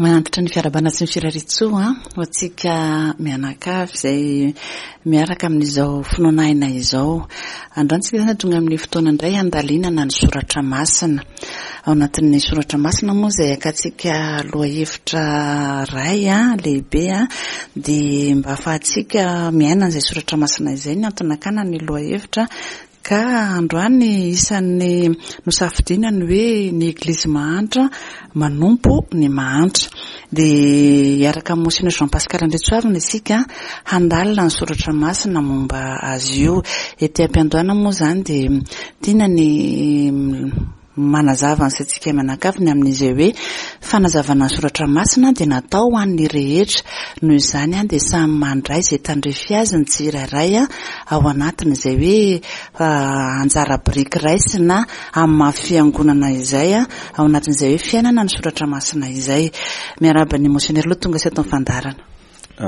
Manantitra ny fiarahabana sy ny firariantsoa ho antsika mianakavy izay miaraka amin'izao finoana aina izao. Androany isika izany tonga amin'ny fotoana indray handalinana ny soratra masina. Ao anatin'ny soratra masina moa izay hakantsika lohahevitra iray lehibe dia mba ahafahantsika miaina an'izay soratra masina izay ny antony nakana ny lohahevitra Ka androany isan'ny nosafidiana ny hoe ny Eglizy mahantra manompo ny mahantra. Dia hiaraka amin'i Monseigneur Jean Pascal Andriantsoavina isika handalina ny soratra masina momba azy io. Ety am-piandohana moa izany dia tiana ny Manazava ny saintsika mianakavy ny amin'izay hoe fanazavana ny soratra masina dia natao ho an'ny rehetra. Noho izany dia samy mandray izay tandrify azy ny tsirairay ao anatin'izay hoe anjara biriky raisina amin'ny maha fiangonana izay ao anatin'izay hoe fiainana ny soratra masina izay. Miarahaba an'i Monseigneur aloha tonga sy ato amin'ny fandaharana.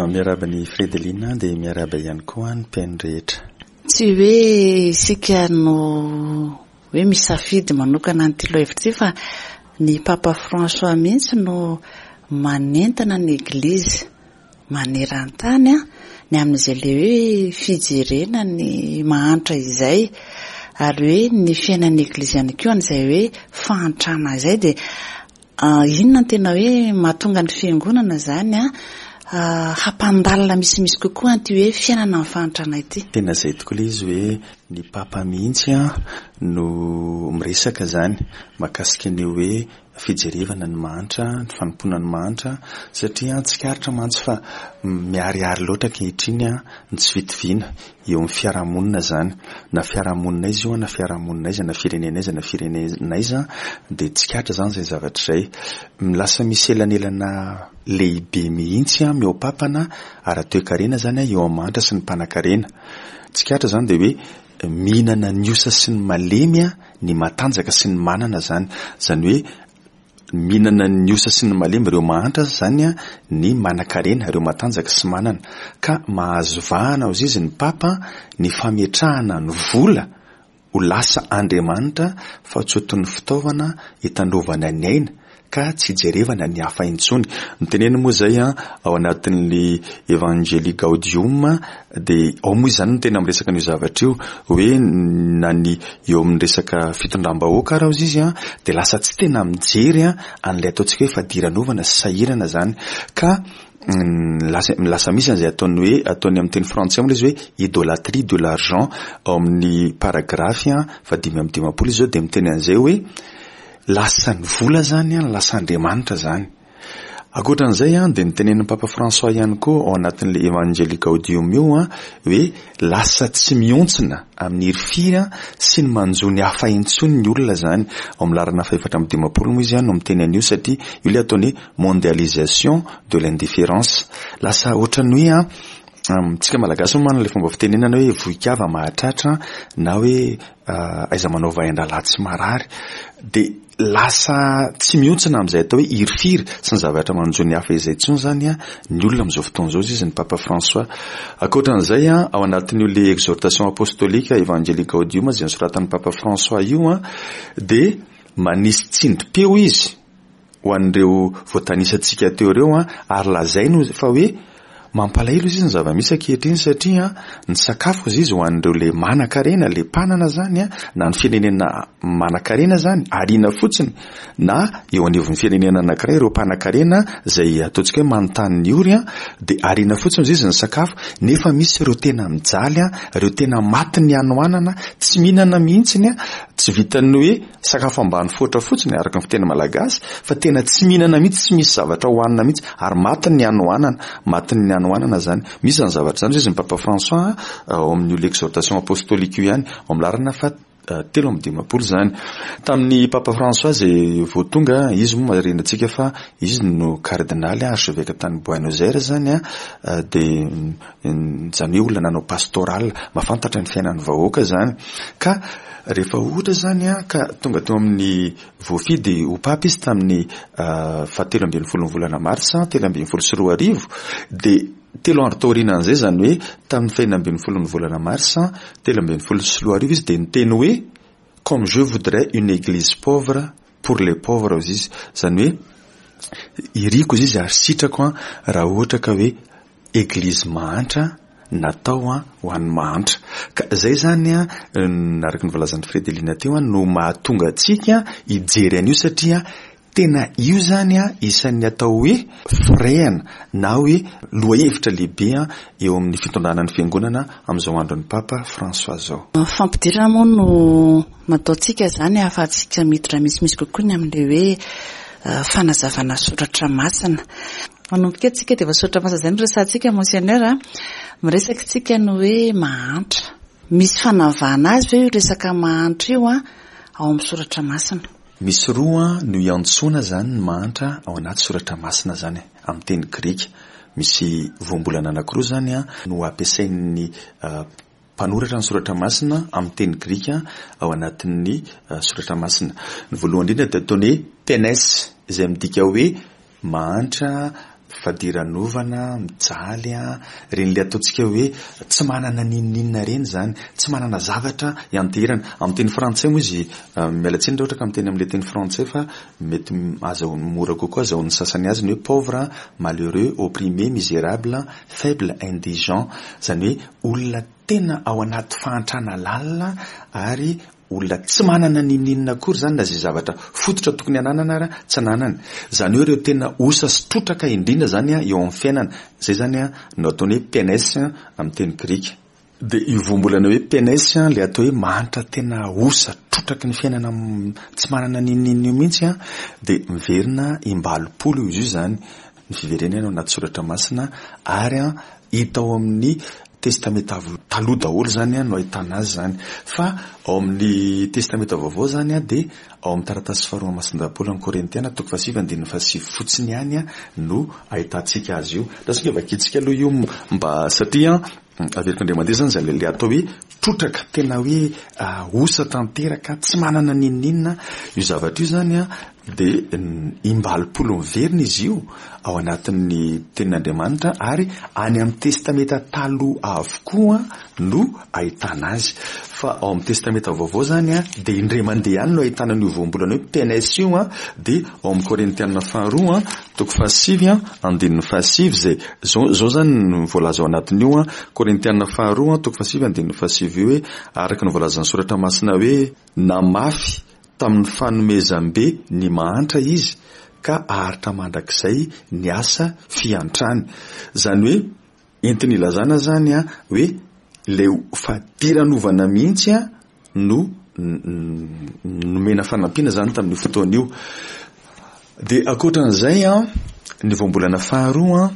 Miarahaba an'i Fredeline dia miarahaba ihany koa ny mpihaino rehetra. Tsy hoe isika no hoe misafidy manokana an'ity lohahevitra ity fa ny Papa François mihitsy no manentana ny Eglizy maneran-tany ny amin'izay ilay hoe fijerena ny mahantra izay ary hoe ny fiainan'ny Eglizy ihany koa an'izay hoe fahantrana izay dia Inona no tena hoe mahatonga ny fiangonana izany hampandalina misimisy kokoa an'ity hoe fiainana amin'ny fahantrana ity? Tena izay tokoa ilay izy hoe ny Papa mihitsy no miresaka izany mahakasika ny hoe fijerevana ny mahantra, ny fanompoana ny mahantra satria tsikaritra mantsy fa miharihary loatra ankehitriny ny tsy fitoviana eo amin'ny fiarahamonina izany, na fiarahamonina aiza io na fiarahamonina aiza, na firenena aiza na firenena aiza dia tsikaritra izany izay zavatra izay. Lasa misy elanelana lehibe mihitsy mihoa-papana ara-toekarena izany eo amin'ny mahantra sy ny mpanankarena. Tsikaritra izany dia hoe mihinana ny osa sy ny malemy ny matanjaka sy ny manana izany. Izany hoe Mihinana ny osa sy ny malemy ireo mahantra aza izany ny manankarena, ireo matanjaka sy manana. Ka mahazo vahana hozy izy ny Papa ny fametrahana ny vola ho lasa Andriamanitra fa tsy ho toy ny fitaovana hitandrovana ny aina ka tsy hijerevana ny hafa intsony. Noteneniny moa izay ao anatin'ny Evangelii Gaudium dia ao moa izany no tena miresaka an'io zavatra io hoe na ny eo amin'ny resaka fitondram-bahoaka ary hozy izy an, dia lasa tsy tena mijery an'ilay ataontsika hoe fadiranovana sy sahirana izany ka lasa lasa misy an'izay ataony hoe ataony amin'ny teny frantsay moa ilay izy hoe idolatrie de l'argent ao amin'ny paragraphe faha-55 izy izao dia miteny an'izay hoe lasa ny vola izany an, lasa andriamanitra izany. Ankoatra an'izay dia notenenin'ny Papa François ihany koa ao anatin'ilay Evangelii Gaudium io hoe lasa tsy mihontsina amin'ny hirifiry sy ny manjo ny hafa intsony ny olona izany. Ao amin'ny laharana fahefatra amby 50 moa izy no miteny an'io satria io ilay ataony hoe mondialisation de l'indifférence. Lasa ohatran'ny hoe Amintsika Malagasy moa manana ilay fomba fitenenana hoe vohikava mahatratra na hoe aiza manao vain-drahalahy tsy marary. Dia lasa tsy mihontsina amin'izay atao hoe hirifiry sy ny zavatra manjo ny hafa izay intsony izany ny olona amin'izao fotoana izao, hoy izy ny Papa François. Ankoatra an'izay, ao anatin'io ilay exhortation apostolique Evangelii Gaudium izay nosoratan'ny Papa François io dia manisy tsindrim-peo izy ho an'ireo voatanisantsika teo ireo an, ary lazainy fa hoe mampalahelo izy ny zava-misy ankehitriny satria ny sakafo izy izy ho an'ireo le manan-karena, le mpanana zany an, na ny firenena manan-karena zany ariana fotsiny na eo anivon'ny firenena anankiray ireo mpanan-karena izay ataontsika hoe manontany ny ory an, dia ariana fotsiny izy izy ny sakafo nefa misy ireo tena mijaly an, ireo tena matin'ny hanoanana, tsy mihinana mihitsiny an, tsy vitan'ny hoe Sakafo ambany foatra fotsiny araka ny fiteny malagasy fa tena tsy mihinana mihitsy, tsy misy zavatra hohanina mihitsy ary matin'ny hanoanana, matin'ny hanoanana izany. Misy izany zavatra izany hoy izy ny Papa François ao amin'io l'exhortation apostolique io ihany, ao amin'ny laharana faha 53 izany. Tamin'ny Papa François izay vao tonga, izy moa marihina antsika fa izy no kardinaly archevêque tany Buenos Aires izany dia izany hoe olona nanao pastoral, mahafantatra ny fiainan'ny vahoaka izany. Ka rehefa ohatra izany ka tonga teo amin'ny voafidy ho papa izy tamin'ny fahatelo ambin'ny folon'ny volana martsa 2013 dia telo andro taorianan'izay izany hoe tamin'ny fahenina ambin'ny folon'ny volana marsa 2013 izy dia niteny hoe comme je voudrais une église pauvre pour les pauvres hozy izy. Izany hoe. Iriko izy ary sitrako an raha ohatra ka hoe Eglizy mahantra natao ho an'ny mahantra. Ka izay izany an, araka ny voalazan'i Fredelina teo an, no mahatonga antsika hijery an'io satria tena io izany an isan'ny atao hoe firehana na hoe lohahevitra lehibe eo amin'ny fitondrana ny fiangonana amin'izao andron'ny Papa François izao. Fampidirana moa no nataontsika izany ahafahantsika miditra misimisy kokoa ny amin'ilay hoe fanazavana soratra masina. Manomboka eto isika dia efa soratra masina izay no resahantsika Monseigneur a. Miresaka isika ny hoe mahantra. Misy fanavahana azy ve io resaka mahantra io ao amin'ny soratra masina? Misy roa no iantsoana izany ny mahantra ao anaty soratra masina izany amin'ny teny grika. Misy voambolana anankiroa izany no ampiasain'ny mpanoratra ny soratra masina amin'ny teny grika ao anatin'ny soratra masina. Ny voalohany indrindra dia ataony hoe penes izay midika hoe mahantra, fadiranovana, mijaly, ireny ilay ataontsika hoe tsy manana n'inon'inona ireny izany, tsy manana zavatra ianteherana. Amin'ny teny frantsay moa izy, miala tsiny raha ohatra ka miteny amin'ilay teny frantsay fa mety azahoany mora kokoa azahoan'ny sasany azy ny hoe pauvre, malheureux, opprimé, misérable, faible, indigent. Izany hoe olona tena ao anaty fahantrana lalina ary olona tsy manana n'inon'inona akory izany na izay zavatra fototra tokony hananana ara tsy ananany. Izany hoe ireo tena osa sy trotraka indrindra izany eo amin'ny fiainana. Izay izany no ataony hoe penes amin'ny teny grika. Dia io voambolana hoe penes ilay atao hoe mahantra tena osa, trotraky ny fiainana tsy manana n'inon'inona io mihitsy dia miverina im-balopolo izy io izany. Ny fiverenana ao anaty soratra masina ary hita ao amin'ny Testamenta Taloha daholo izany no ahitana azy izany. Fa ao amin'ny Testamenta Vaovao izany dia ao amin'ny taratasy faharoa masindahy Paoly amin'ny Korintiana toko fahasivy andininy fahasivy fotsiny ihany no ahitantsika azy io. Lasa ange vakintsika aloha io mba satria averiko indray mandeha izany izay ilay atao hoe trotraka, tena hoe osa tanteraka, tsy manana n'inon'inona io zavatra io izany dia im-balopolo miverina izy io ao anatin'ny tenin'Andriamanitra ary any amin'ny Testamenta Taloha avokoa no ahitana azy. Fa ao amin'ny Testamenta Vaovao izany dia indray mandeha ihany no ahitana an'io voambolana hoe penes io, dia ao amin'ny Korintiana faharoa toko fahasivy andininy fahasivy izay izao izao izany no voalaza ao anatin'io, Korintiana faharoa toko fahasivy andininy fahasivy io hoe araka ny voalazan'ny Soratra Masina hoe namafy Tamin'ny fanomezam-be ny mahantra izy ka haharitra mandrakizay ny asa fiantrany. Izany hoe entiny ilazana izany hoe ilay fadiranovana mihitsy no nomena fanampiana izany tamin'io fotoana io. Dia ankoatran'izay ny voambolana faharoa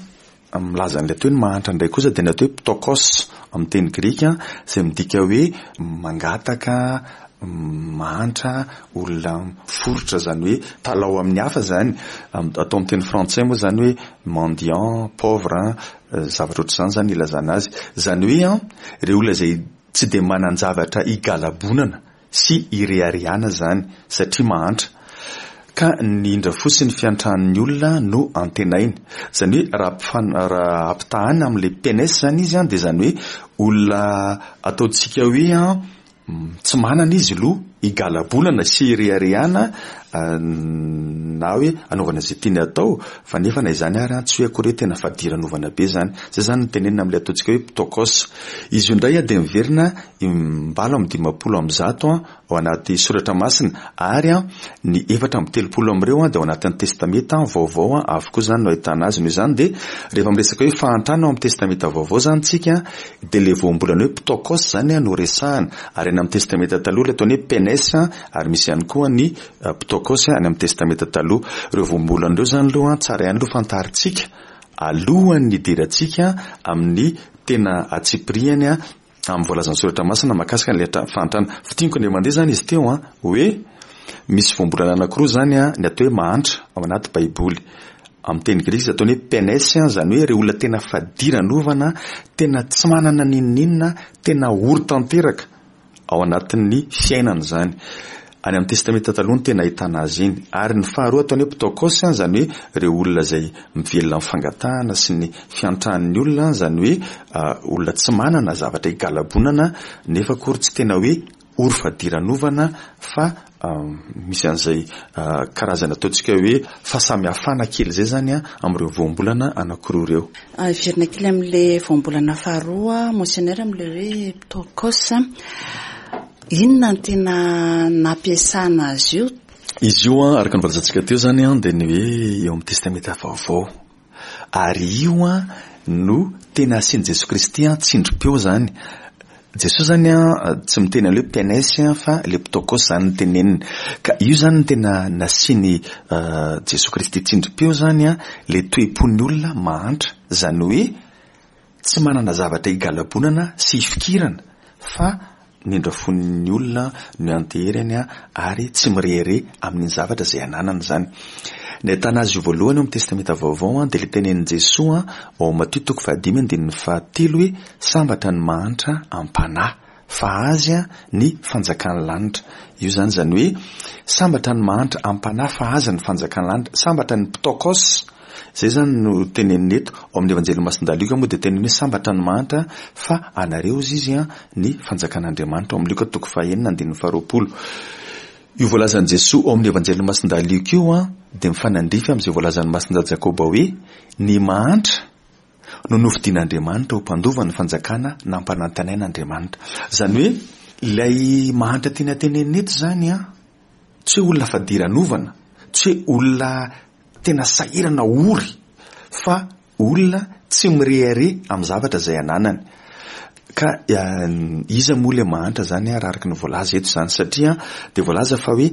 Milaza an'ilay atao hoe ny mahantra indray kosa dia ny atao hoe ptokos amin'ny teny grika izay midika hoe mangataka, mahantra, olona miforitra izany hoe talao amin'ny hafa izany. Atao amin'ny teny frantsay moa izany hoe mendiant, pauvre, zavatra ohatr'izany izany ilazana azy. Izany hoe ireo olona izay tsy dia manan-javatra higalabonana sy ireharehana izany satria mahantra ka ny indra fo sy ny fiantran'ny olona no antenainy. Izany hoe raha raha ampitahana amin'ilay penes izany izy dia izany hoe olona ataontsika hoe tsy manana izy aloha higalabolana sy hireharehana na hoe hanaovana izay tiany atao fa nefa na izany ary tsy hoe akory hoe tena fadiranovana be izany. Izay izany no tenenina amin'ilay ataontsika hoe ptokos. Izy io indray dia miverina 138 ao anaty soratra masina ary ny 34 amin'ireo dia ao anatin'ny testamenta vaovao avokoa izany no ahitana azy. Noho izany dia rehefa miresaka hoe fahantrana ao amin'ny testamenta vaovao izany tsika dia ilay voambolana hoe ptokos izany no resahana ary any amin'ny testamenta taloha ilay ataony hoe penes ary misy ihany koa ny ptokos any amin'ny testamenta taloha. Ireo voambolana ireo izany aloha tsara ihany aloha fantarintsika alohan'ny hidirantsika amin'ny tena antsipiriany amin'ny voalazan'ny soratra masina mahakasika an'ilay fahantrana. Fintiniko indray mandeha izany izy teo an, hoe misy voambolana anankiroa izany an, ny atao hoe mahantra ao anaty baiboly. Amin'ny teny grika izy ataony hoe penes, izany hoe ireo olona tena fadiranovana, tena tsy manana n'inon'inona, tena ory tanteraka. ao anatin'ny fiainana izany. Any amin'ny Testamenta Taloha no tena ahitana azy iny. Ary ny faharoa ataony hoe ptokos, izany hoe ireo olona izay mivelona amin'ny fangatahana sy ny fiantran'ny olona, izany hoe olona tsy manana zavatra higalabonana nefa akory tsy tena hoe ory fadiranovana fa. Misy an'izay karazana ataontsika hoe fahasamihafana kely izay izany amin'ireo voambolana anankiroa ireo. Hiverina kely amin'ilay voambolana faharoa, Monseigneur, amin'ilay hoe ptokos. Inona no tena nampiasana azy io? Izy io, araka ny voalazantsika teo izany, dia ny hoe eo amin'ny Testamenta Vaovao. Ary io no tena asian'i Jesoa Kristy tsindrim-peo izany. Jesoa izany tsy miteny an'ilay hoe penes fa ilay ptokos izany no teneniny. Ka io izany no tena nasian'i Jesoa Kristy tsindrim-peo izany, ilay toe-pon'ny olona mahantra. Izany hoe Tsy manana zavatra higalabonana sy hifikirana fa ny indrafon'ny olona no ianteherany ary tsy mirehareha amin'ny zavatra izay ananany izany. Ny ahitana azy io voalohany ao amin'ny Testamenta Vaovao dia ilay tenenin'i Jesoa ao amin'ny Matio toko fahadimy andininy fahatelo hoe sambatra ny mahantra am-panahy fa azy ny fanjakan'ny lanitra. Io izany izany hoe sambatra ny mahantra am-panahy fa azy ny fanjakan'ny lanitra. Sambatra ny ptokos Izay izany no tenenina eto. Ao amin'ny Evanjelin'i Masindahy Lioka moa dia tenenina hoe sambatra ny mahantra fa anareo hozy izy ny fanjakan'Andriamanitra. Ao amin'ny Lioka toko fahenina andininy faharoapolo. Io voalazan'i Jesoa ao amin'ny Evanjelin'i Masindahy Lioka io dia mifanandrify amin'izay voalazan'i Masindahy Jakoba hoe ny mahantra no nofidin'Andriamanitra ho mpandova ny fanjakana nampanantenain'Andriamanitra. Izany hoe ilay mahantra tiana tenenina eto izany tsy hoe olona fadiranovana, tsy hoe olona tena sahirana ory fa olona tsy mirehareha amin'ny zavatra izay ananany. Ka iza moa ilay mahantra izany raha araka ny voalaza eto izany satria dia voalaza fa hoe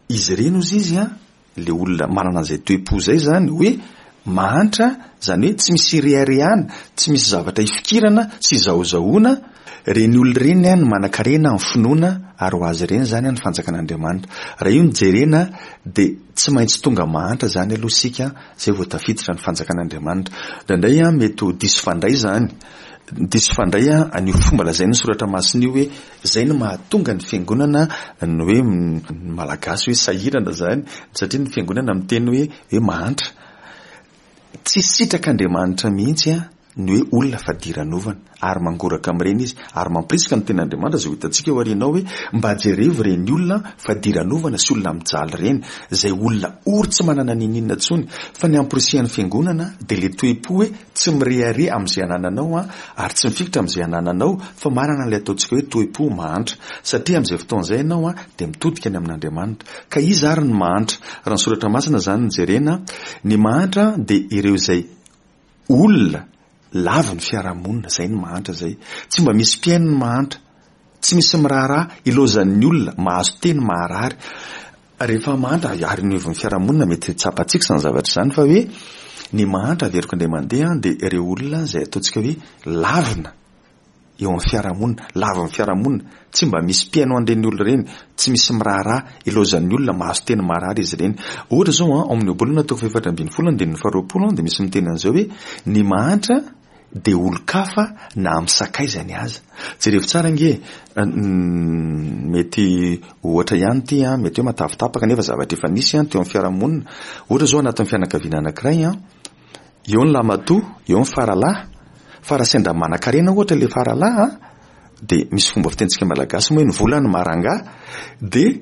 izy ireny hozy izy ilay olona manana an'izay toe-po izay izany hoe mahantra izany hoe tsy misy ireharehana, tsy misy zavatra ifikirana sy izahozahoana, ireny olona ireny no manan-karena amin'ny finoana ary ho azy ireny izany ny fanjakan'Andriamanitra. Raha io no jerena dia tsy maintsy tonga mahantra izany aloha isika izay vao tafiditra ny fanjakan'Andriamanitra. Indraindray mety ho diso fandray izany, diso fandray an'io fomba lazain'ny soratra masina io hoe izay no mahatonga ny fiangonana ny hoe ny Malagasy hoe sahirana izany satria ny fiangonana miteny hoe hoe mahantra. Tsy sitrak'Andriamanitra mihitsy ny hoe olona fadiranovana ary mangoraka amin'ireny izy ary mampirisika ny tenin'Andriamanitra izay ho hitantsika eo aoriana ao hoe mba jerevo ireny olona fadiranovana sy olona mijaly ireny izay olona ory tsy manana n'inon'inona intsony fa ny amporisihan'ny fiangonana dia ilay toe-po hoe tsy mirehareha amin'izay anananao ary tsy mifikitra amin'izay anananao fa manana ilay ataontsika hoe toe-po mahantra satria amin'izay fotoana izay ianao dia mitodika any amin'Andriamanitra ka iza ary ny mahantra raha ny soratra masina izany no jerena ny mahantra dia ireo izay Olona lavin'ny fiarahamonina, izay ny mahantra izay. Tsy mba misy mpihaino ny mahantra. Tsy misy miraharaha, ilaozan'ny olona, mahazo teny maharary. Rehefa mahantra, ary ny hevon'ny fiarahamonina mety tsapantsika izany zavatra izany fa hoe ny mahantra averiko indray mandeha dia ireo olona izay ataontsika hoe lavina. eo amin'ny fiarahamonina, lavin'ny fiarahamonina, tsy mba misy mpihaino an'ireny olona ireny, tsy misy miraharaha, ilaozan'ny olona, mahazo teny marary izy ireny. Ohatra izao an, ao amin'ny Ohabolana toko fahefatra ambinifolo andininy faharoapolo dia misy miteny an'izao hoe ny mahantra dia olon-kafa na amin'ny sakaizany aza. Jerevo tsara ange e, mety ohatra ihany ity an, mety hoe matavitapaka nefa zavatra efa nisy an teo amin'ny fiarahamonina. Ohatra izao anatin'ny fianakaviana anankiray an, Eo ny lahimatoa, eo ny faralahy. Fa raha sendra manankarena ohatra ilay faralahy an, dia misy fomba fitenintsika malagasy moa hoe ny vola no maha-rangahy, dia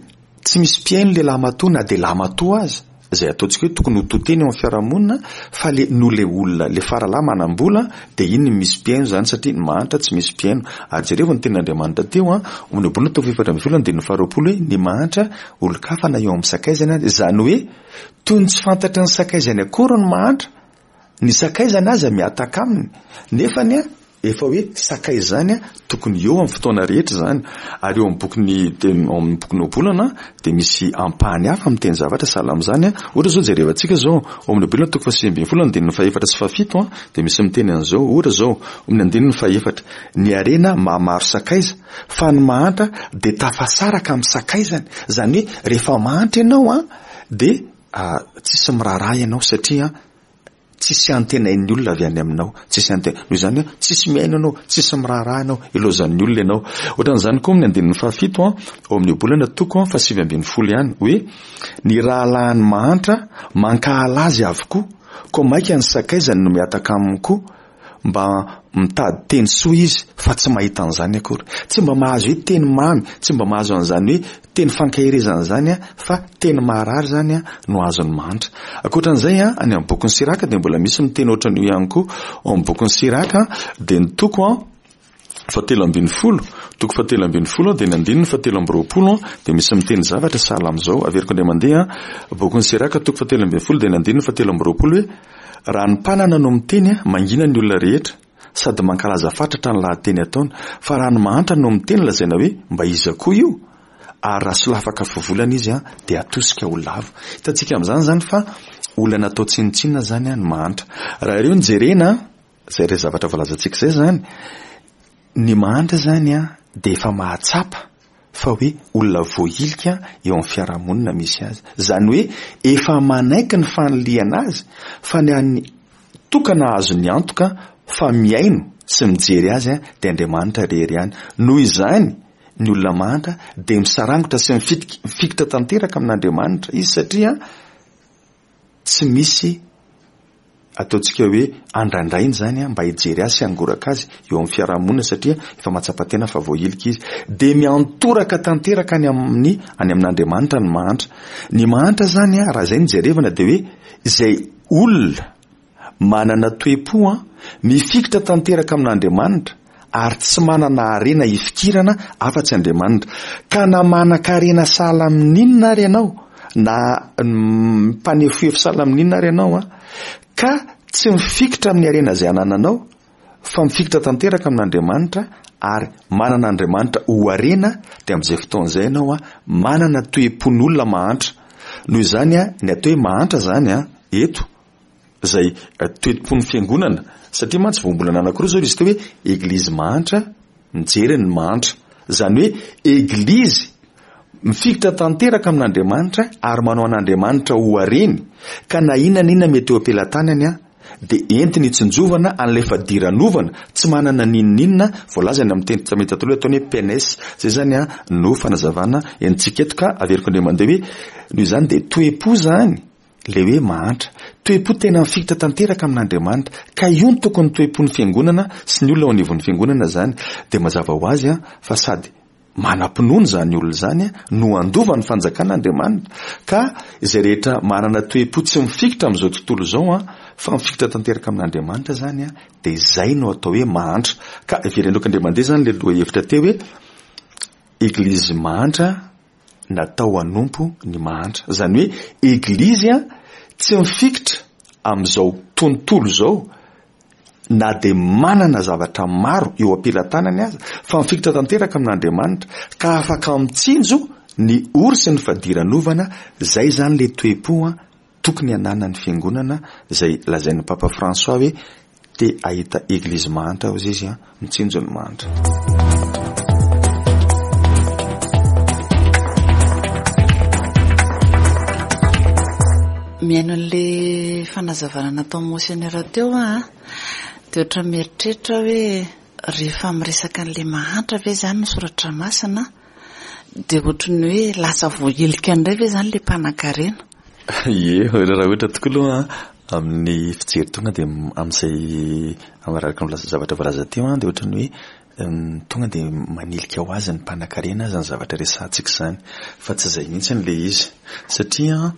tsy misy mpihaino ilay lahimatoa na dia lahimatoa aza, izay ataontsika hoe tokony ho to teny eo amin'ny fiarahamonina, fa ilay noho ilay olona, ilay faralahy manam-bola, dia iny no misy mpihaino izany satria ny mahantra tsy misy mpihaino. Ary jerevo ny tenin'Andriamanitra teo an, ao amin'ny Ohabolana toko fahefatra ambinifolo andininy faharoapolo hoe ny mahantra olon-kafa na eo amin'ny sakaizany aza, izany hoe Toy ny tsy fantatry ny sakaizany akory ny mahantra, ny sakaizany aza mihataka aminy, nefa ny efa hoe sakaiza izany tokony eo amin'ny fotoana rehetra izany. Ary eo amin'ny bokin'ny ao amin'ny bokin'ny Ohabolana dia misy ampahany hafa miteny zavatra sahala amin'izany. Ohatra izao jerevantsika izao, ao amin'ny Ohabolana toko fahasivy ambinifolo andininy fahefatra sy fahafito dia misy miteny an'izao. Ohatra izao, amin'ny andininy fahefatra, ny harena mahamaro sakaiza, fa ny mahantra dia tafasaraka amin'ny sakaizany. Izany hoe rehefa mahantra ianao an, Dia tsisy miraharaha ianao satria tsisy antenain'ny olona avy any aminao, tsisy ante-, noho izany an, tsisy mihaino anao, tsisy miraharaha anao, ilaozan'ny olona ianao. Ohatran'izany koa amin'ny andininy fahafito an, ao amin'ny Ohabolana toko an, fahasivy ambinifolo ihany, hoe ny rahalahin'ny mahantra mankahala azy avokoa, koa mainka ny sakaizany no mihataka aminy koa. mba mitady teny soa izy fa tsy mahita an'izany akory. Tsy mba mahazo hoe teny mamy, tsy mba mahazo an'izany hoe teny fankaherezana izany fa teny maharary izany no azon'ny mahantra. Ankoatran'izay, any amin'ny bokin'i Siraka dia mbola misy miteny ohatran'io ihany koa. Ao amin'ny bokin'i Siraka dia ny toko fahatelo ambin'ny folo, toko fahatelo ambin'ny folo dia ny andininy fahatelo amby roapolo dia misy miteny zavatra sahala amin'izao. Averiko indray mandeha, bokin'i Siraka toko fahatelo ambin'ny folo dia ny andininy fahatelo amby roapolo hoe raha ny mpanana no miteny, mangina ny olona rehetra sady mankalaza fatratra ny lahateny ataony, fa raha ny mahantra no miteny lazaina hoe mba iza koa io? Ary raha solafaka fivolana izy dia atosika ho lavo. Hitantsika amin'izany izany fa olona natao tsinontsinona izany ny mahantra. Raha ireo no jerena, izay ireo zavatra voalazantsika izay izany, ny mahantra izany dia efa mahatsapa fa hoe olona voahilika eo amin'ny fiarahamonina misy azy. Izany hoe efa manaiky ny fanilihana azy fa ny an'ny tokana azony antoka fa mihaino sy mijery azy dia Andriamanitra irery ihany. Noho izany, ny olona mahantra dia misarangotra sy mifikitra tanteraka amin'Andriamanitra izy satria tsy misy ataontsika hoe andrandrainy izany mba hijery azy sy hangoraka azy eo amin'ny fiarahamonina satria efa mahatsapa tena fa voahilika izy. Dia miantoraka tanteraka any amin'ny any amin'Andriamanitra ny mahantra. Ny mahantra izany raha izay no jerevana dia hoe izay olona manana toe-po mifikitra tanteraka amin'Andriamanitra ary tsy manana harena hifikirana afa-tsy Andriamanitra. Ka na manan-karena sahala amin'inona ary ianao, na mpanefoefo sahala amin'inona ary ianao, ka tsy mifikitra amin'ny harena izay anananao, fa mifikitra tanteraka amin'Andriamanitra ary manana Andriamanitra ho harena, dia amin'izay fotoana izay ianao manana toe-pon'olona mahantra. Noho izany, ny atao hoe mahantra izany eto, izay toe-pon'ny fiangonana, satria mantsy voambolana anankiroa izao izy teo hoe eglizy mahantra mijery ny mahantra, izany hoe eglizy mifikitra tanteraka amin'Andriamanitra ary manao an'Andriamanitra ho hareny, ka na inona na inona mety eo am-pelatanany an, dia entiny hitsinjovana an'ilay fadiranovana, tsy manana n'inon'inona, voalazany amin'ny teny testamenta taloha ataony hoe penes, izay izany an no fanazavana entintsika eto ka averiko indray mandeha hoe noho izany dia toe-po izany Ilay hoe mahantra. Toe-po tena mifikitra tanteraka amin'Andriamanitra. Ka io no tokony toe-pon'ny fiangonana sy ny olona ao anivon'ny fiangonana izany. Dia mazava ho azy fa sady manam-pinoana izany olona izany no handova ny fanjakan'Andriamanitra. Ka izay rehetra manana toe-po tsy mifikitra amin'izao tontolo izao fa mifikitra tanteraka amin'Andriamanitra izany dia izay no atao hoe mahantra. Ka iverenoko indray mandeha izany ilay lohahevitra teo hoe Eglizy mahantra natao hanompo ny mahantra. Izany hoe Eglizy tsy mifikitra amin'izao tontolo izao na dia manana zavatra maro eo am-pelatanany aza fa mifikitra tanteraka amin'Andriamanitra ka afaka mitsinjo ny ory sy ny fadiranovana, izay izany ilay toe-po tokony hananan'ny fiangonana izay lazain'ny Papa François hoe te hahita eglizy mahantra hozy izy an, mitsinjo ny mahantra. Mihaino an'le fanazavana nataon'i Monseigneur teo aho an, dia ohatran'ny mieritreritra aho hoe rehefa miresaka an'le mahantra ve izany ny soratra masina dia ohatran'ny hoe lasa voahilika indray ve izany le mpanankarena? Ie, raha ohatra tokoa aloha amin'ny fijery tonga dia amin'izay araka ny zavatra voalaza teo dia ohatran'ny hoe tonga dia manilika ho azy ny mpanankarena izany zavatra resahantsika izany fa tsy izay mihitsy ilay izy satria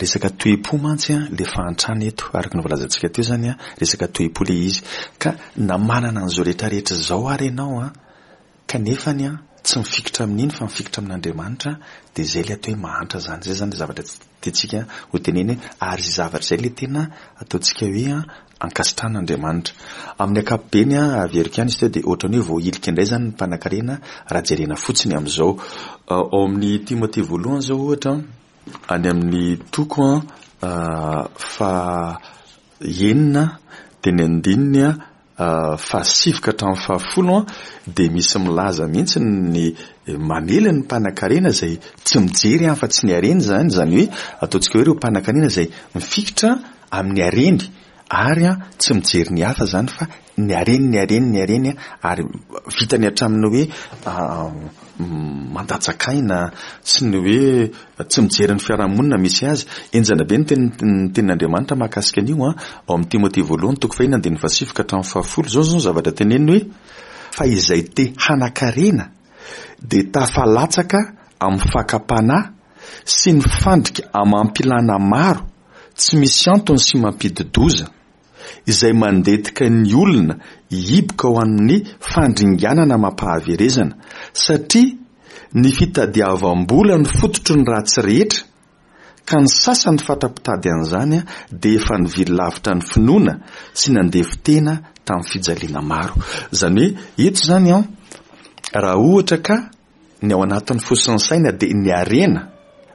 resaka toe-po mantsy ilay fahantrana eto araka ny voalazantsika teo izany resaka toe-po ilay izy ka na manana an'izao rehetra rehetra izao ary ianao an Kanefa ny an, tsy mifikitra amin'iny fa mifikitra amin'Andriamanitra, dia izay ilay atao hoe mahantra izany. Izay izany ilay zavatra tiantsika ho tenenina hoe, ary izay zavatra izay ilay tena ataontsika hoe ankasitrahan'Andriamanitra. Amin'ny ankapobeny, averiko ihany izy teo, dia ohatran'ny hoe voahilika indray izany ny mpanankarena raha jerena fotsiny amin'izao. Ao amin'ny Timothée voalohany izao ohatra, any amin'ny toko faha enina dia ny andininy fahasivy ka hatramin'ny fahafolo dia misy milaza mihitsy ny mamely ny mpanankarena izay tsy mijery afa-tsy ny hareny izany, izany hoe ataontsika hoe ireo mpanankarena izay mifikitra amin'ny hareny. Ary tsy mijery ny hafa izany fa ny hareny, ny hareny, ny hareny ary vitany hatramin'ny hoe mandatsaka aina sy ny hoe tsy mijery ny fiarahamonina misy azy. Henjana be ny tenin'Andriamanitra mahakasika an'io ao amin'ny Timoty voalohany toko fahiny andininy fahasivy ka hatramin'ny fahafolo. Izao izao ny zavatra teneniny hoe fa izay te hanan-karena dia tafalatsaka amin'ny fakam-panahy sy ny fandrika amam-pilana maro tsy misy antony sy mampidi-doza, izay mandetika ny olona hihiboka ho amin'ny fandringanana amam-pahaverezana, satria ny fitadiavam-bola no fototry ny ratsy rehetra, ka ny sasany fatra-pitady an'izany dia efa nivily lavitra ny finoana sy nandevo-tena tamin'ny fijaliana maro. Izany hoe eto izany an, raha ohatra ka ny ao anatin'ny fo sy ny saina dia ny harena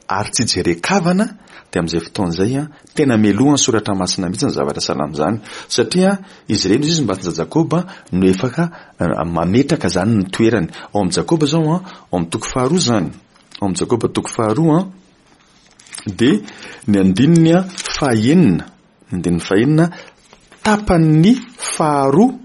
ary tsy jeren-kavana dia amin'izay fotoana izay an, tena melohan'ny soratra masina mihitsy ny zavatra sahala amin'izany satria izy ireny izy mba Jakoba no efaka mametraka izany ny toerany. Ao amin'i Jakoba izao an, ao amin'ny toko faharoa izany, ao amin'i Jakoba toko faharoa an, dia ny andininy fahenina, ny andininy fahenina tapany faharoa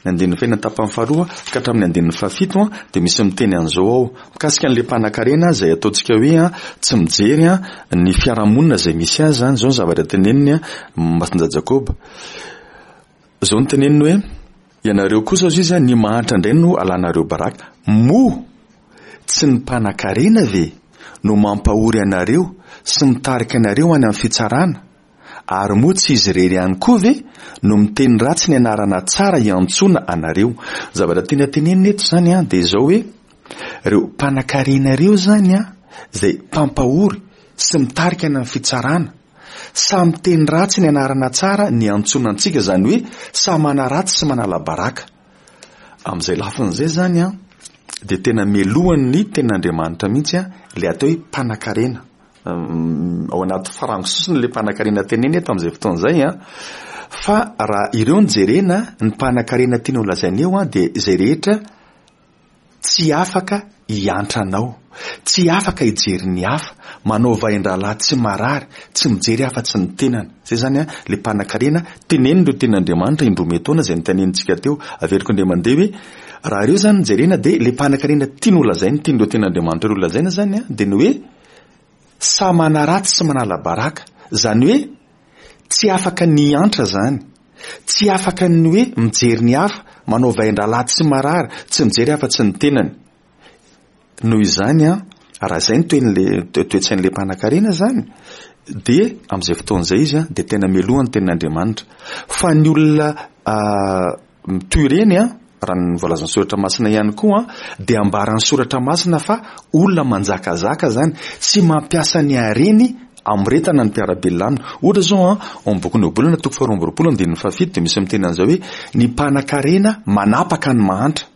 Ny andininy fahenina tapany faharoa ka hatramin'ny andininy fahafito dia misy miteny an'izao ao, mikasika an'ilay mpanankarena izay ataontsika hoe tsy mijery ny fiarahamonina izay misy azy izany, izao ny zavatra teneniny Masindahy Jakoba. Izao no teneniny hoe, ianareo kosa hozy izy, ny mahantra indray no alanareo baraka. Moa tsy ny mpanankarena ve no mampahory anareo sy mitarika anareo any amin'ny fitsarana? Ary moa tsy izy irery ihany koa ve no miteny ratsy ny anarana tsara iantsoana anareo? Ny zavatra tiana tenenina eto izany an, dia izao hoe, ireo mpanankarena ireo izany an, izay mpampahory sy mitarika any amin'ny fitsarana, samy miteny ratsy ny anarana tsara niantsoana antsika, izany hoe samy manaratsy sy manala baraka. Amin'izay lafiny izay izany an, dia tena melohan'ny tenin'Andriamanitra mihitsy an, ilay atao hoe mpanankarena. Ao anaty farango sosony ilay mpanankarena tenenina eto amin'izay fotoana izay an. Fa raha ireo no jerena, ny mpanankarena tiana ho lazaina eo an, dia izay rehetra tsy afaka hiantra anao, tsy afaka hijery ny hafa, manao vain-drahalahy tsy marary, tsy mijery afa-tsy ny tenany. Izay izany an, ilay mpanankarena tenenin'ireo tenin'Andriamanitra indroa metaona izay notenenintsika teo. Averiko indray mandeha hoe, raha ireo izany no jerena dia ilay mpanankarena tiany ho lazaina, tian'ireo tenin'Andriamanitra ireo lazaina izany an, dia ny hoe, Samy manaratsy sy manala baraka. Izany hoe tsy afaka ny hiantra izany. Tsy afaka ny hoe mijery ny hafa, manao vain-drahalahy tsy marary, tsy mijery afa-tsy ny tenany. Noho izany an, raha izay ny toen'ilay toe-tsain'ilay mpanankarena izany, dia amin'izay fotoana izay izy an, dia tena melohan'ny tenin'Andriamanitra. Fa ny olona Toy ireny, raha ny voalazan'ny Soratra Masina ihany koa, dia ambaran'ny Soratra Masina fa olona manjakazaka izany sy mampiasa ny hareny hamoretana ny mpiara-belona aminy. Ohatra izao, ao amin'ny bokin'ny Ohabolana toko faharoa amby 22 andininy fahafito dia misy miteny an'izao hoe ny mpanankarena manapaka ny mahantra.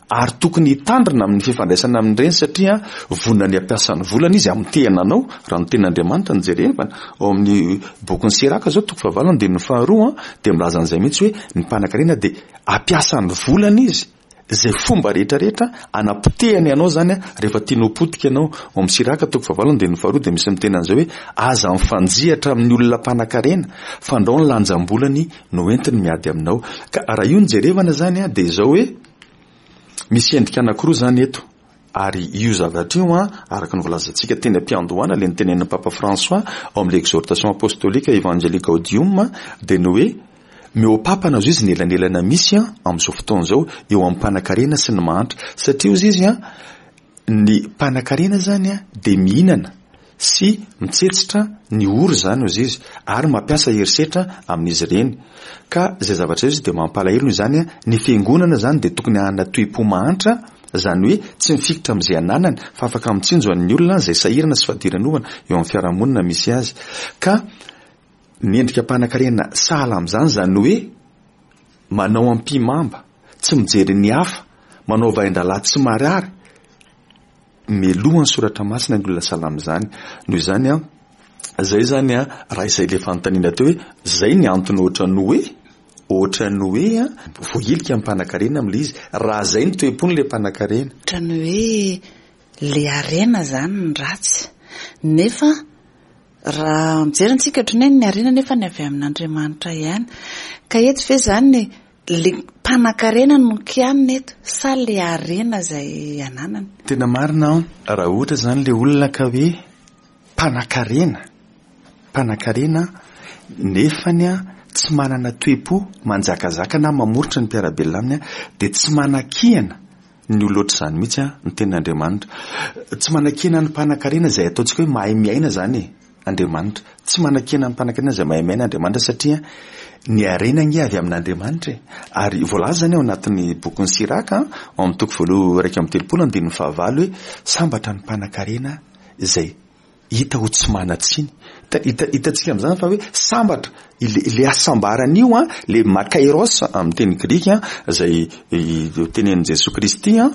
Ary tokony hitandrina amin'ny fifandraisana amin'ireny satria vonona ny hampiasa ny volany izy hamotehana anao, raha ny tenin'Andriamanitra no jerevana. Ao amin'ny bokin'i Siraka izao toko fahavalo andininy faharoa dia milaza an'izay mihitsy hoe ny mpanankarena dia hampiasa ny volany izy, izay fomba rehetra rehetra hanapotehany anao izany rehefa tiany ho potika ianao. Ao amin'ny Siraka toko fahavalo andininy faharoa dia misy miteny an'izay hoe aza mifanjihatra amin'ny olona mpanankarena fandrao ny lanjam-bolany no entiny miady aminao. Ka raha io no jerevana izany dia izao hoe misy endrika anankiroa izany eto. Ary io zavatra io an, araka ny voalazantsika teny am-piandohana, ilay notenenin'ny Papa François ao amin'ilay Exhortation Apostolique Evangelii Gaudium, dia ny hoe mihoa-papana hozy izy ny elanelana misy an, amin'izao fotoana izao eo amin'ny mpanankarena sy ny mahantra. Satria hozy izy an, Ny mpanakarena izany dia mihinana sy mitsetsitra ny ory izany hozy izy ary mampiasa herisetra amin'izy ireny. Ka izay zavatra izay hozy izy dia mampalahelo noho izany ny fiangonana izany dia tokony hanana toe-po mahantra, izany hoe tsy mifikitra amin'izay ananany fa afaka mitsinjo an'ny olona izay sahirana sy fadiranovana eo amin'ny fiarahamonina misy azy. Ka ny endrika mpanakarena sahala amin'izany izany hoe manao ampihimamba, tsy mijery ny hafa, manao vain-drahalahy tsy marary, meloha ny soratra masina ny olona sahala amin'izany. Noho izany an, izay izany an, raha izay ilay fanontaniana teo hoe, izay ny antony ohatran'ny hoe, ohatran'ny hoe an, voahilika ny mpanankarena amin'ilay izy, raha izay ny toe-pon'ilay mpanankarena. Ohatran'ny hoe ilay harena izany no ratsy, nefa. Raha mijery antsika ohatran'ny hoe ny harena nefa ny avy amin'Andriamanitra ihany. Ka eto ve izany le mpanankarena no kianina eto sa le harena izay ananany? Tena marina an, raha ohatra izany le olona ka hoe mpanankarena, mpanankarena nefany an tsy manana toe-po manjakazaka na mamoritra ny mpiara-belona aminy an, dia tsy manakihana ny olona ohatr'izany mihitsy an, ny tenin'Andriamanitra. Tsy manakiana ny mpanankarena izay ataontsika hoe mahay miaina izany e, Andriamanitra. Tsy manakiana ny mpanankarena izay mahay miaina Andriamanitra satria ny harena ange avy amin'Andriamanitra e. Ary voalaza izany ao anatin'ny bokin'i Siraka, ao amin'ny toko voalohany 31 andininy fahavalo hoe sambatra ny mpanankarena izay hita ho tsy manan-tsiny. Hita, hitantsika amin'izany fa hoe sambatra, ilay, ilay hasambarana io an, ilay makairos amin'ny teny grika izay tenenin'i Jesoa Kristy an,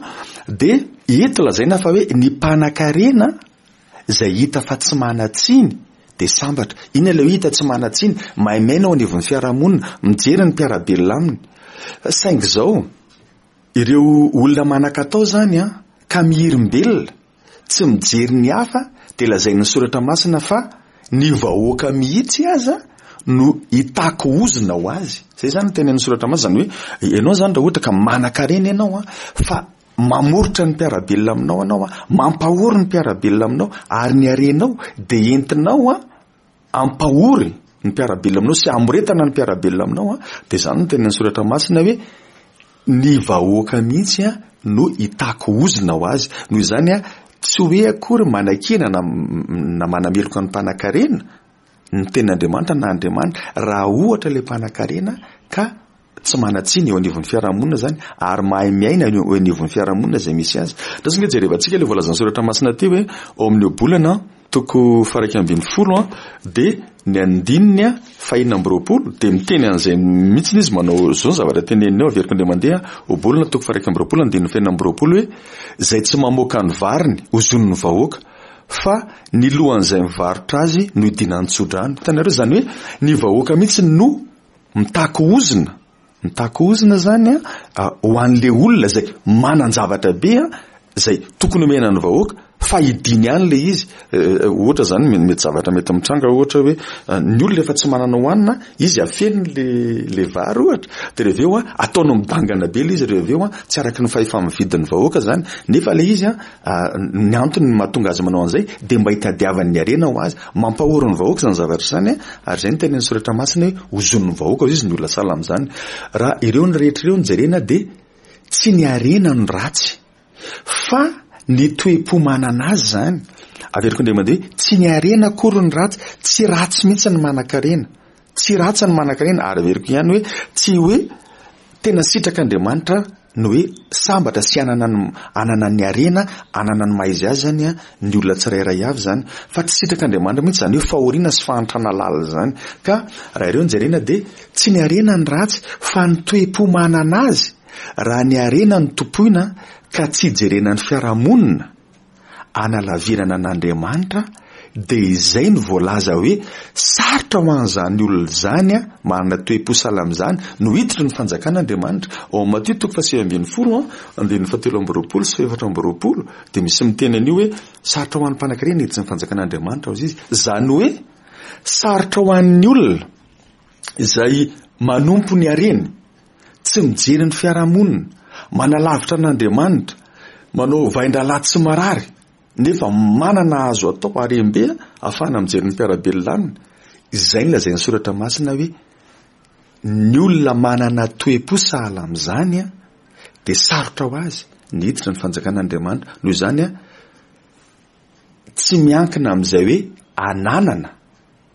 dia eto lazaina fa hoe ny mpanankarena izay hita fa tsy manan-tsiny dia sambatra. Inona ilay hoe hita tsy manan-tsiny? Maimaina ao anivon'ny fiarahamonina, mijery ny mpiara-belona aminy. Saingy izao, ireo olona manan-katao izany an, ka mihirimbelona, tsy mijery ny hafa dia lazain'ny soratra masina fa ny vahoaka mihitsy aza no hitaky ozona ho azy. Izay izany no tenenin'ny soratra masina, izany hoe ianao izany raha ohatra ka manan-karena ianao an, fa mamoritra ny mpiara-belona aminao ianao an, mampahory ny mpiara-belona aminao ary ny harenao dia entinao an, ampahory ny mpiara-belona aminao sy amoretana ny mpiara-belona aminao an, dia izany no tenenin'ny soratra masina hoe ny vahoaka mihitsy an no hitaky ozona ho azy. Noho izany an, tsy hoe akory manakiana na na manameloka ny mpanankarena ny tenin'Andriamanitra na Andriamanitra raha ohatra ilay mpanankarena ka tsy manan-tsiny eo anivon'ny fiarahamonina izany ary mahay miaina eo anivon'ny fiarahamonina izay misy azy. Ndao ange jerevantsika ilay voalazan'ny soratra masina teo hoe ao amin'ny ohabolana toko faha-11 dia ny andininy faha-26 dia miteny an'izay mihitsy izy manao izao ny zavatra teneniny ao, averiko indray mandeha, ohabolana toko faha-21 andininy faha-26 hoe izay tsy mamoaka ny variny hozonin'ny vahoaka fa ny lohan'izay mivarotra azy no idinan'ny tsodrano. Hitanareo izany hoe ny vahoaka mihitsy no Mitaky ozona, mitaky ozona zany an, ho an'le olona izay manan-javatra be an, izay tokony omena ny vahoaka fa hidiny ihany le izy. Ohatra zany mety zavatra mety mitranga ohatra hoe ny olona efa tsy manana hohanina, izy afeniny le le vary ohatra, de rehefa avy eo an ataony midangana be le izy rehefa avy eo an, tsy araky ny fahefa-mividin'ny vahoaka zany, nefa le izy an ny antony mahatonga azy manao an'izay dia mba hitadiavany ny harena ho azy. Mampahory ny vahoaka izany zavatra izany ary izay no tenenin'ny soratra masina hoe hozonin'ny vahoaka hoy izy ny olona sahala amin'izany. Raha ireo ny rehetra ireo no jerena dia tsy ny harena no ratsy fa ny toe-po manana azy izany. Averiko indray mandeha hoe tsy ny harena akory no ratsy, tsy ratsy mihitsy ny manan-karena. Tsy ratsy ny manan-karena ary averiko ihany hoe tsy hoe tena sitrak'Andriamanitra ny hoe sambatra sy hanana ny hanana ny harena, hanana ny maha izy azy izany ny olona tsirairay avy izany. Fa tsy sitrak'Andriamanitra mihitsy izany hoe fahoriana sy fahantrana lalina izany. Ka raha ireo no jerena dia tsy ny harena no ratsy fa ny toe-po manana azy. Raha ny harena no tompoina ka tsy jerena ny fiarahamonina, analavirana an'Andriamanitra dia izay no voalaza hoe sarotra ho an'izany olona izany manana toe-po sahala amin'izany no hiditra ny fanjakan'Andriamanitra. Ao amin'ny Matio toko faha-19 andininy faha-23 sy faha-24 dia misy miteny an'io hoe sarotra ho an'ny mpanankarena ny hiditra ny fanjakan'Andriamanitra hozy izy. Izany hoe sarotra ho an'ny olona izay manompo ny hareny, tsy mijery ny fiarahamonina, manalavitra an'Andriamanitra, manao vain-drahalahy tsy marary, nefa manana azo atao harem-be ahafahana mijery ny mpiara-belona aminy. Izay no lazain'ny Soratra Masina hoe ny olona manana toe-po sahala amin'izany dia sarotra ho azy ny hiditra ny fanjakan'Andriamanitra. Noho izany, tsy miankina amin'izay hoe ananana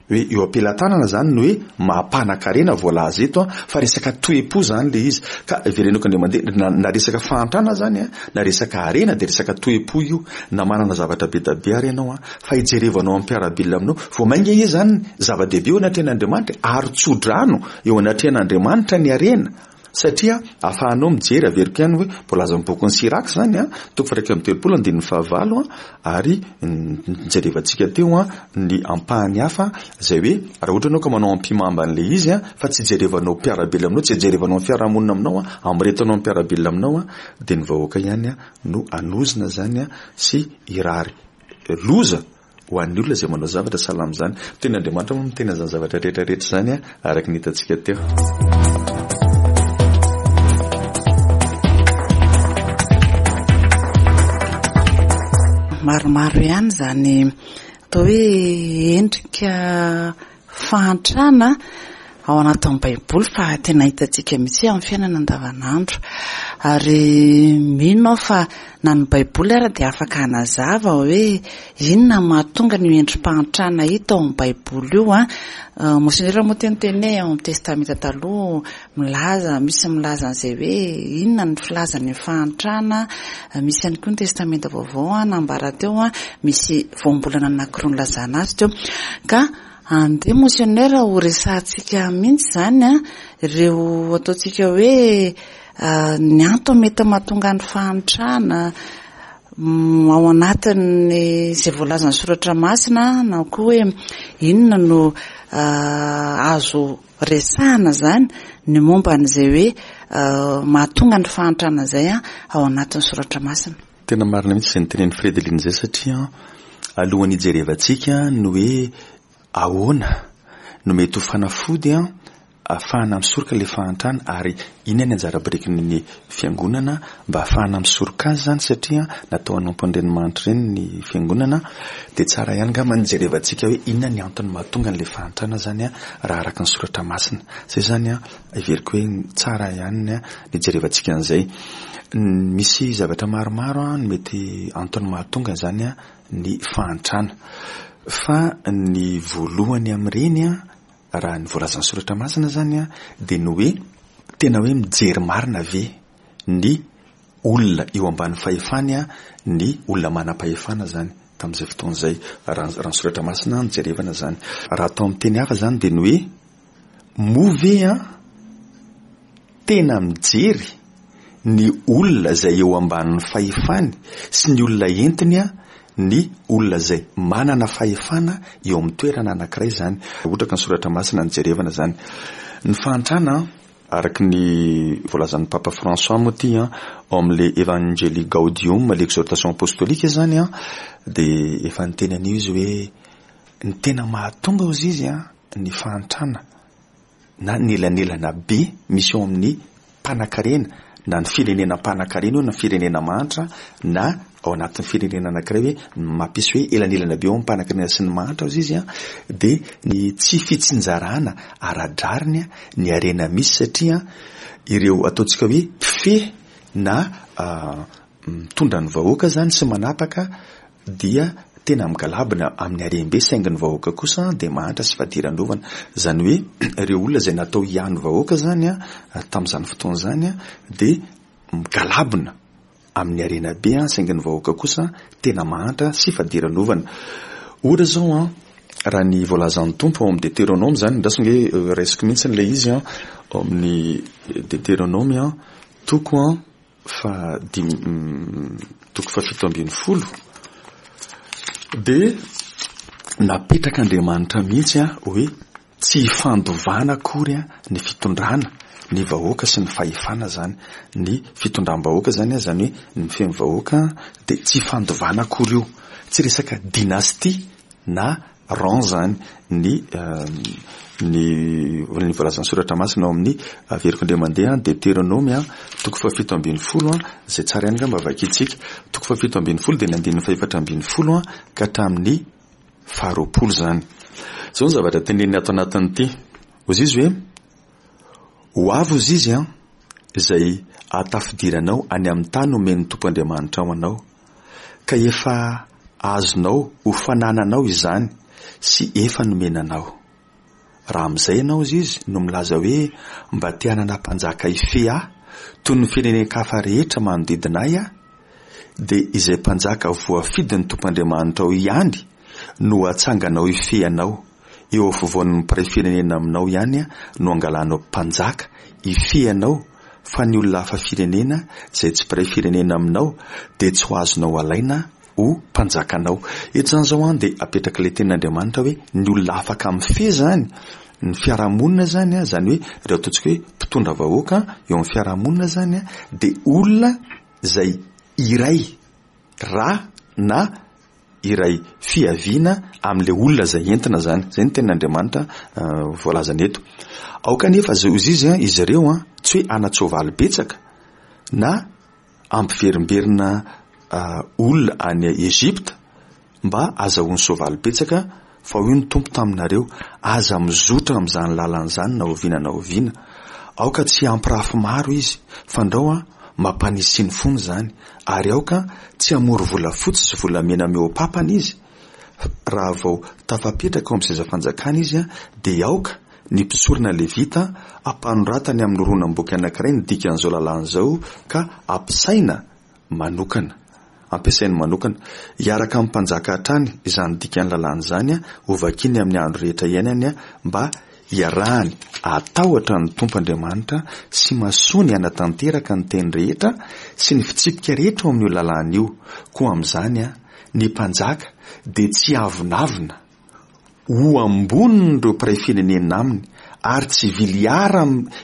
Hoe eo am-pelatanana izany ny hoe maha-mpanan-karena voalaza eto an, fa resaka toe-po izany ilay izy. Ka iverenako indray mandeha, na na resaka fahantrana izany an, na resaka harena dia resaka toe-po io. Na manana zavatra be dia be ary ianao an, fa ijerevanao amin'ny mpiara-belona aminao. Vao mainka izy izany zava-dehibe eo anatrehan'Andriamanitra e, ary tso-drano eo anatrehan'Andriamanitra ny harena. Satria ahafahanao mijery, averiko ihany hoe voalazan'ny bokin'i Siraka izany an, toko faha-31 andininy fahavalo an, ary nijerevantsika teo an ny ampahany hafa izay hoe raha ohatra ianao ka manao ampihimamba an'ilay izy an, fa tsy ijerevanao mpiara-belona aminao, tsy ijerevanao ny fiarahamonina aminao an, amoretanao ny mpiara-belona aminao an, dia ny vahoaka ihany an no hanozona izany an sy hirary loza. Ho an'ny olona izay manao zavatra sahala amin'izany. Tenin'Andriamanitra moa miteny an'izany zavatra rehetra rehetra izany araka ny hitantsika teo. Maromaro ihany izany atao hoe endrika fahantrana ao anatin'ny Baiboly fa tena hitantsika mihitsy amin'ny fiainana andavanandro. Ary mino aho fa na ny Baiboly ara dia afaka hanazava hoe inona no mahatonga an'io endri-pahantrana hita ao amin'ny Baiboly io an. Monsenera moa teo niteny hoe ao amin'ny Testamenta Taloha milaza, misy milaza an'izay hoe inona ny filazany ny fahantrana, misy ihany koa ny Testamenta Vaovao nambara teo, misy voambolana anankiroa nilazana azy teo. Ka andeha Monseigneur ho resahantsika mihitsy izany ireo ataontsika hoe ny antony mety mahatonga ny fahantrana ao anatin'ny izay voalazan'ny soratra masina na koa hoe inona no azo resahana izany ny momba an'izay hoe mahatonga ny fahantrana izay ao anatin'ny soratra masina. Tena marina mihitsy izay notenenin'i Fredeline izay satria alohan'ny hijerevantsika ny hoe ahoana no mety ho fanafody ahafahana misoroka ilay fahantrana ary inona ny anjara birikin'ny fiangonana mba ahafahana misoroka azy izany satria natao hanompo an'ireny mahantra ireny ny fiangonana dia tsara ihany angamba ny hijerevantsika hoe inona ny antony mahatonga an'ilay fahantrana izany raha araka ny soratra masina. Izay izany heveriko hoe tsara ihany ny hijerevantsika an'izay. Misy zavatra maromaro no mety antony mahatonga izany ny fahantrana. Fa ny voalohany amin'ireny raha ny voalazan'ny soratra masina izany dia ny hoe tena hoe mijery marina ve ny olona eo ambany fahefany ny olona manam-pahefana izany tamin'izay fotoana izay raha ny soratra masina no jerevana izany. Raha atao amin'ny teny hafa izany dia ny hoe moa ve an tena mijery ny olona izay eo ambanin'ny fahefany sy ny olona entiny ny olona izay manana fahefana eo amin'ny toerana anankiray izany. Ohatra ka ny soratra masina no jerevana izany. Ny fahantrana, araka ny voalazan'ny Papa François moa ity ao amin'ilay Evangelii Gaudium, l'exhortation apostolique izany dia efa niteny an'io izy hoe ny tena mahatonga hozy izy ny fahantrana na ny elanelana be misy eo amin'ny mpanakarena na ny firenena mpanakarena io na firenena mahantra na ao anatin'ny firenena anankiray hoe mampisy hoe elanelana be eo amin'ny mpanakarena sy ny mahantra hozy izy dia ny tsy fitsinjarana ara-drariny ny harena misy satria ireo ataontsika hoe mpifehy na mitondra ny vahoaka izany sy manapaka dia tena migalabona amin'ny harem-be saingy ny vahoaka kosa dia mahantra sy fadiranovana. Izany hoe ireo olona izay natao hiahy ny vahoaka izany tamin'izany fotoana izany dia migalabona amin'ny harena be saingy ny vahoaka kosa tena mahantra sy fadiranovana. Ohatra izao an, raha ny voalazan'ny Tompo ao amin'ny Deteronoma izany, andraso ange raisiko mihitsy ilay izy an, ao amin'ny Deteronoma toko an, faha dimy toko faha 17 dia napetrak'Andriamanitra mihitsy hoe tsy hifandovana akory ny fitondrana ny vahoaka sy ny fahefana izany. Ny fitondram-bahoaka izany, izany hoe ny mifehy ny vahoaka dia tsy hifandovana akory io. Tsy resaka dynastie na rang izany ny ny ny voalazan'ny soratra masina ao amin'ny averiko indray mandeha Deteronômy toko faha 17 izay tsara ihany angamba vakintsika. Toko faha 17 dia ny andininy faha 14 ka hatramin'ny faha 20 izany. Izao ny zavatra teneniny ato anatin'ity. Hoy izy hoe ho avy hoy izy an izay ahatafidiranao any amin'ny tany omen'ny Tompo Andriamanitrao anao. Ka efa azonao ho fanananao izany sy efa nomena anao. Raha amin'izay ianao, hozy izy, no milaza hoe mba te hanana mpanjaka hifehy ahy toy ny firenen-kafa rehetra manodidina ahy aho, dia izay mpanjaka voafidin'ny Tompo Andriamanitrao ihany no hatsanganao hifehy anao, eo afovoan'ny mpiray firenena aminao ihany no hangalanao mpanjaka hifehy anao, fa ny olona hafa firenena izay tsy mpiray firenena aminao dia tsy ho azonao alaina ho mpanjakanao. Eto izany izao an dia apetrak'ilay tenin'Andriamanitra hoe ny olona afaka mifehy izany ny fiarahamonina izany an, izany hoe ireo ataontsika hoe mpitondra vahoaka eo amin'ny fiarahamonina izany an, dia olona izay iray ra na. iray fiaviana amin'ilay olona izay entina izany. Izay no tenin'Andriamanitra voalazany eto. Aoka anefa hozy izy, izy ireo tsy hoe hanan-tsoavaly betsaka na hampiverimberina olona any Egypta mba hazahoany soavaly betsaka, fa hoy ny Tompo taminareo, Aza mizotra amin'izany lalana izany na oviana na oviana. Aoka tsy hampirafy maro izy, fandrao mampanisy ny fony izany, ary aoka tsy hamory volafotsy sy volamena mihoa-papana izy, raha vao tafapetraka ao amin'ny seza fanjakana izy, dia aoka ny mpisorona levita hampanoratany amin'ny horonam-boky anankiray ny dikan'izao lalàna izao ka hampisaina manokana. Ampiasainy manokana. Hiaraka amin'ny mpanjaka hatrany izany dikan'ny lalàna izany, hovakiny amin'ny andro rehetra iainany mba hiarahany hatahotra ny Tompo Andriamanitra sy masoany hanatanteraka ny teny rehetra sy ny fitsipika rehetra ao amin'io lalàna io. Koa amin'izany, ny mpanjaka dia tsy hiavonavona ho ambonin'ireo mpiray firenena aminy ary tsy hivily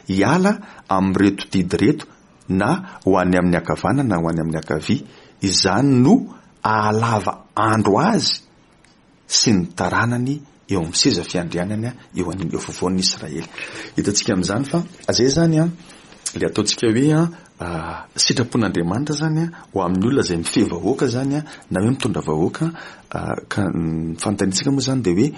hiala amin'ireto didy ireto na ho any amin'ny ankavanana na ho any amin'ny ankavia, izany no hahalava andro azy sy ny taranany eo amin'ny seza fiandrianany eo an'ny eo afovoan'ny Israely. Hitantsika amin'izany fa izay izany an, ilay ataontsika hoe an, sitrapon'Andriamanitra izany an, ho amin'ny olona izay mifehy vahoaka izany an, na hoe mitondra vahoaka, ka ny fanontaniantsika moa izany dia hoe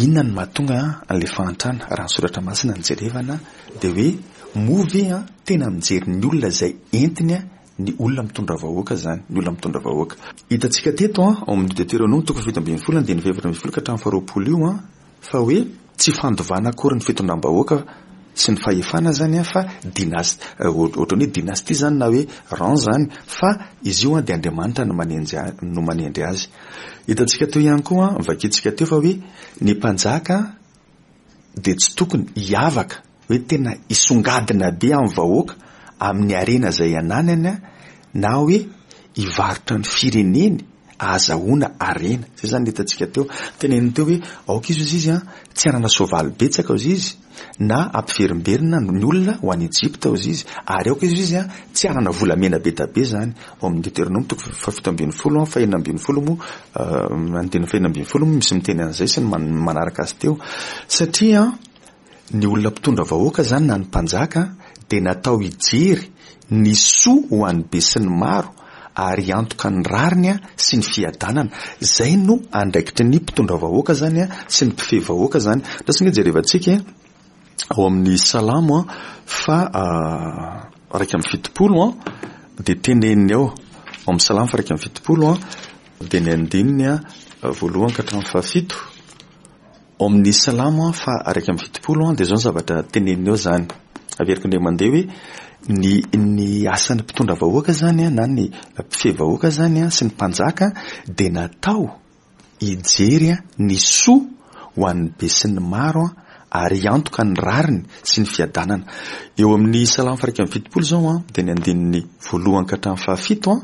Inona no mahatonga an'ilay fahantrana? Raha ny soratra masina no jerevana dia hoe moa ve tena mijery ny olona izay entiny ny olona mitondra vahoaka izany, ny olona mitondra vahoaka. Hitantsika teto ao amin'ny Deteronoma toko faha-17 andininy faha-14 ka hatramin'ny faha-20 io fa hoe tsy fandovana akory ny fitondram-bahoaka sy ny fahefana izany fa dynas- ohatran'ny hoe dynastie izany na hoe rang izany fa izy io dia Andriamanitra no manenjy no manendry azy. Hitantsika teo ihany koa, novakintsika teo fa hoe ny mpanjaka dia tsy tokony hiavaka hoe tena hisongadina be amin'ny vahoaka amin'ny harena izay ananany na hoe hivarotra ny fireneny ahazahoana harena. Izay izany no hitantsika teo. Teneniny teo hoe aoka izy hozy izy tsy hanana soavaly betsaka hozy izy na hampiverimberina ny olona ho any Egypta hozy izy ary aoka izy hozy izy tsy hanana volamena be da be izany. Ao amin'ny Deteronoma toko faha-17 faha-16 moa andininy faha-16 moa misy miteny an'izay sy ny manaraka azy teo satria Ny olona mpitondra vahoaka izany na ny mpanjaka dia natao hijery ny soa ho an'ny besinimaro ary hiantoka ny rariny sy ny fiadanana. Izay no andraikitry ny mpitondra vahoaka izany sy ny mpifehy vahoaka izany. Lasa ange jerevantsika ao amin'ny Salamo faha 71 dia teneniny ao, ao amin'ny Salamo faha 71 dia ny andininy voalohany ka hatramin'ny fahafito. Ao amin'ny Salamo faha 71 dia izao ny zavatra teneniny ao izany. Averiko indray mandeha hoe ny ny asan'ny mpitondra vahoaka izany na ny mpifehy vahoaka izany sy ny mpanjaka dia natao hijery ny soa ho an'ny besinimaro ary hiantoka ny rariny sy ny fiadanana. Eo amin'ny Salamo faha 71 izao dia ny andininy voalohany ka hatramin'ny fahafito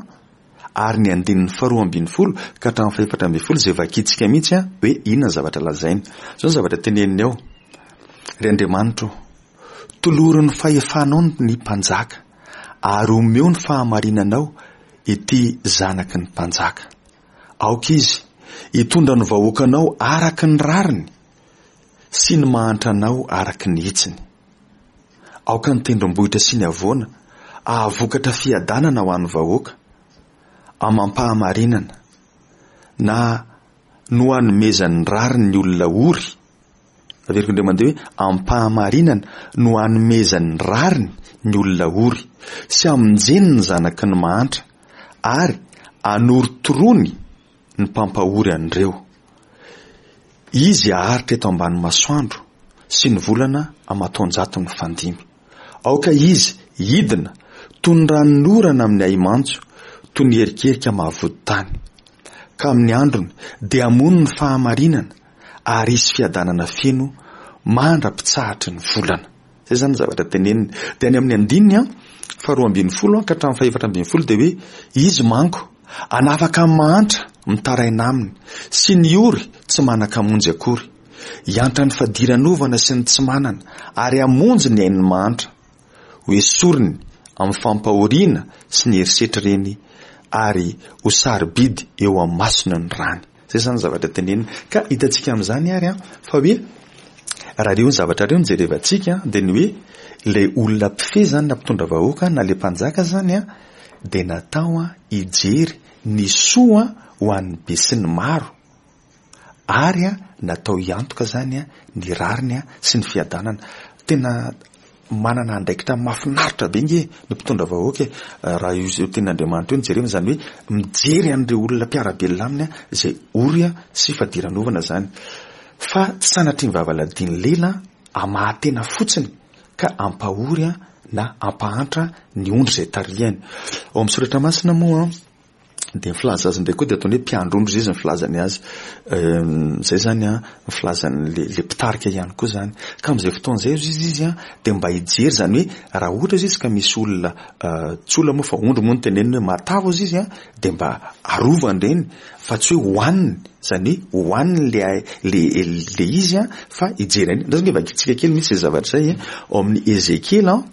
ary ny andininy faharoa ambinifolo ka hatramin'ny fahefatra ambinifolo izay vakintsika mihitsy hoe inona ny zavatra lazainy. Izao ny zavatra teneniny ao, Ry Andriamanitro ô, tolory ny fahefanao ny mpanjaka, ary omeo ny fahamarinanao ity zanaky ny mpanjaka. Aoka izy hitondra ny vahoakanao araka ny rariny sy ny mahantranao araka ny hitsiny. Aoka ny tendrombohitra sy ny havoana hahavokatra fiadanana ho an'ny vahoaka, amam-pahamarinana, na no hanomezany ny rariny ny olona ory, averiko indray mandeha hoe amim-pahamarinana no hanomezany ny rariny ny olona ory, sy hamonjeny ny zanaky ny mahantra, ary hanorotoroany ny mpampahory an'ireo. Izy haharitra eto ambany masoandro sy ny volana aman-taonjato mifandimby. Aoka izy hidina toy ny ranonorana amin'ny ahi-mantso, toy ny erikerika mahavody tany. Ka amin'ny androny dia hamono ny fahamarinana ary hisy fiadanana feno mandra-pitsahatry ny volana. Izay izany ny zavatra teneniny. Dia any amin'ny andininy faharoa ambinifolo ka hatramin'ny fahefatra ambinifolo dia hoe izy manko hanafaka ny mahantra mitaraina aminy sy ny ory tsy manan-kamonjy akory. Hiantra ny fadiranovana sy ny tsy manana ary hamonjy ny ain'ny mahantra. Ho esoriny amin'ny fampahoriana sy ny herisetra ireny. ary ho sarobidy eo amin'ny masony ny rany. Izay izany ny zavatra tenenina. Ka hitantsika amin'izany ary an, fa hoe raha ireo zavatra ireo no jerevantsika dia ny hoe ilay olona mpifehy izany na mpitondra vahoaka na ilay mpanjaka izany an, dia natao an hijery ny soa ho an'ny besinimaro. Ary natao hiantoka izany ny rariny sy ny fiadanana. Tena manana andraikitra mahafinaritra be nge ny mpitondra vahoaka e! Raha io tenin'Andriamanitra io no jerena, izany hoe mijery an'ireo olona mpiara-belona aminy izay ory sy fadiranovana izany. Fa tsy sanatria ny vavaladian'ny lela hamaha-tena fotsiny ka hampahory na hampahantra ny ondry izay tarihany. Ao amin'ny soratra masina moa. Dia ny filaza azy indray koa dia ataony hoe mpiandry ondry izy ny filazany azy. Izay izany an, ny filazan'ilay ilay mpitarika ihany koa izany. Ka amin'izay fotoana izay hozy izy an, dia mba hijery izany hoe raha ohatra hozy izy ka misy olona, tsy olona moa fa ondry moa no teneniny hoe matavy hozy izy an, dia mba arovany ireny fa tsy hoe hohaniny, izany hoe hohaniny ilay ilay ilay izy an, fa hijery an'iny. Andraso ange vakintsika kely mihitsy izay zavatra izay ao amin'ny Ezekiela an,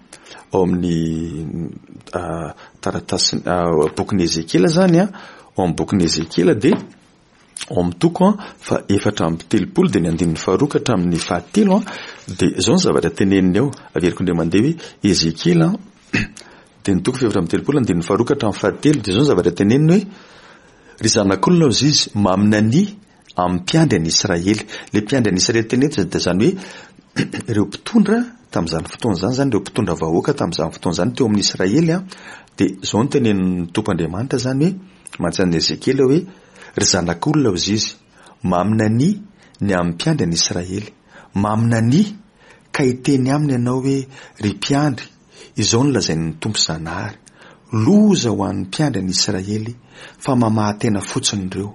ao amin'ny Taratasin'ny bokin'i Ezekiela izany an, ao amin'ny bokin'i Ezekiela dia ao amin'ny toko faha 34 dia ny andininy faharoa ka hatramin'ny fahatelo an, dia izao ny zavatra teneniny ao, averiko indray mandeha hoe Ezekiela dia ny toko faha 34 andininy faharoa ka hatramin'ny fahatelo dia izao ny zavatra teneniny hoe ry zanak'olona hozy izy maminania amin'ny mpiandry an'i Israely. Ilay mpiandry an'i Israely teny eto dia izany hoe ireo mpitondra tamin'izany fotoana izany, izany ireo mpitondra vahoaka tamin'izany fotoana izany teo amin'ny Israely an, dia izao no tenenin'ny Tompo Andriamanitra izany hoe mantsy an'i Ezekiela hoe ry zanak'olona hozy izy, maminania ny amin'ny mpiandry an'i Israely, maminania ka hiteny aminy ianao hoe ry mpiandry, izao no lazain'ny Tompo Zanahary, loza ho an'ny mpiandry an'i Israely fa mamaha-tena fotsiny ireo.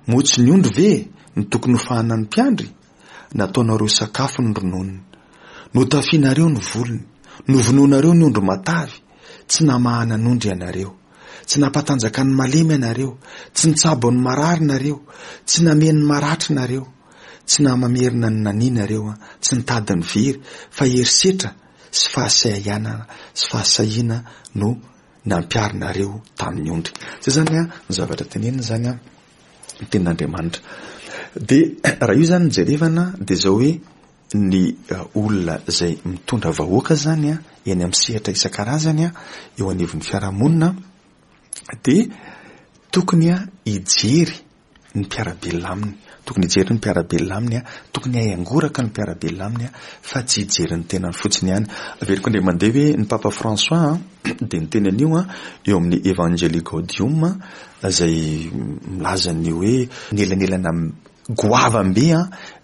Moa tsy ny ondry ve no tokony hofahanan'ny mpiandry? Nataonareo sakafo ny rononony. Notafianareo ny volony. Novonoinareo ny ondry matavy. Tsy namahana ny ondry ianareo. Tsy nampatanjaka ny malemy ianareo. Tsy nitsabo ny marary nareo. Tsy namehy ny maratra nareo. Tsy namamerina ny nania nareo. Tsy nitady ny very, fa herisetra sy fahasahianana sy fahasahiana no nampiharinareo tamin'ny ondry. Zay zany an, ny zavatra tenenina zany an, ny tenin'Andriamanitra. Dia raha io zany no jerevana dia zao hoe ny olona izay mitondra vahoaka zany an, eny amin'ny sehatra isan-karazany an, eo anivon'ny fiarahamonina dia tokony hijery ny mpiara-belona aminy. Tokony hijery ny mpiara-belona aminy, tokony hahay hangoraka ny mpiara-belona aminy fa tsy hijery ny tenany fotsiny ihany. Averiko indray mandeha hoe ny Papa François dia niteny an'io eo amin'ny Evangelii Gaudium izay milaza ny hoe ny elanelana goavam-be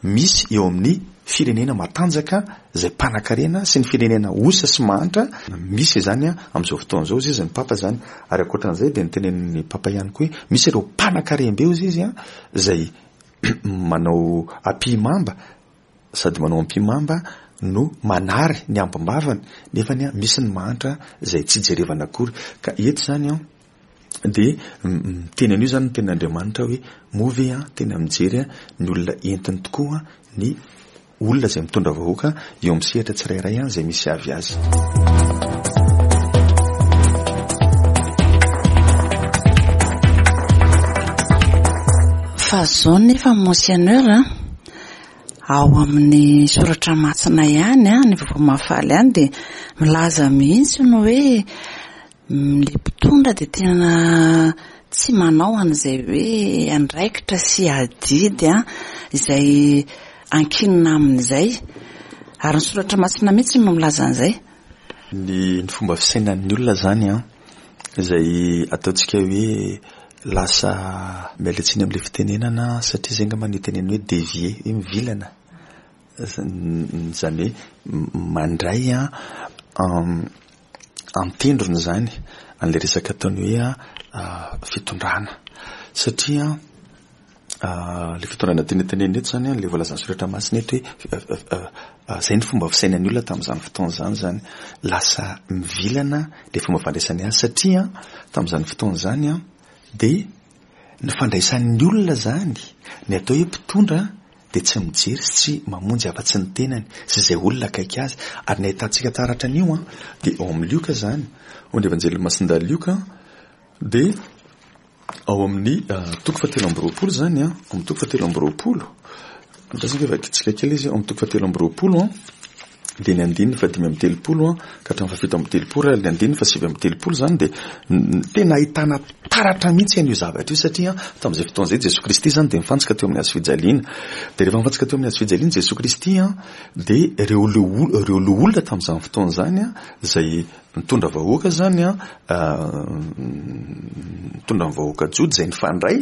misy eo amin'ny firenena matanjaka izay mpanakarena sy ny firenena osa sy mahantra misy izany amin'izao fotoana izao, hozy izy ny Papa izany. Ary ankoatran'izay dia notenenin'ny Papa ihany koa hoe misy ireo mpanakarem-be hozy izy izay manao ampihimamba sady manao ampihimamba no manary ny ambim-bavany nefany misy ny mahantra izay tsy jerevana akory. Ka eto izany an dia miteny an'io izany ny tenin'Andriamanitra hoe moa ve tena mijery ny olona entiny tokoa ny olona izay mitondra vahoaka eo amin'ny sehatra tsirairay izay misy avy azy. Fa zao nefa Monseigneur a, ao amin'ny soratra masina ihany a, ny vaovao mahafaly ihany dia milaza mihitsy ny hoe Ilay mpitondra dia tena tsy manao an'izay hoe andraikitra sy adidy izay ankinina aminy izay. Ary ny soratra masina mihitsy no milaza an'izay. Ny fomba fisainan'ny olona izany an, izay ataontsika hoe lasa, miala tsiny amin'ilay fitenenana satria izay angamba no itenenana hoe dévier, hoe mivilana. Izany hoe mandray an-tendrony izany an'ilay resaka ataony hoe fitondrana satria ilay fitondrana tiana tenenina eto izany ilay voalazan'ny soratra masina eto hoe izay ny fomba fisainan'ny olona tamin'izany fotoana izany izany lasa mivilana ilay fomba fandraisany azy satria tamin'izany fotoana izany dia ny fandraisan'ny olona izany ny atao hoe mpitondra dia tsy mijery sy tsy mamonjy afa-tsy ny tenany sy izay olona akaiky azy. Ary ny ahitantsika taratra an'io dia ao amin'ny Lioka izany, ao amin'ny Evanjelin'i Masindahy Lioka dia. Ao amin'ny toko fahatelo amby roapolo izany an, ao amin'ny toko fahatelo amby roapolo, andrasana ange vakintsika kely izy, ao amin'ny toko fahatelo amby roapolo an, dia ny andininy fahadimy amby telopolo an, ka hatramin'ny fahafito amby telopolo ary ny andininy fahasivy amby telopolo izany dia tena ahitana taratra mihitsy an'io zavatra io satria tamin'izay fotoana izay Jesoa Kristy izany dia nifantsika teo amin'ny hazo fijaliana. Dia rehefa nifantsika teo amin'ny hazo fijaliana Jesoa Kristy an, dia ireo ireo loholona tamin'izany fotoana izany an, izay nitondra vahoaka izany an, nitondra ny vahoaka Jody izay nifandray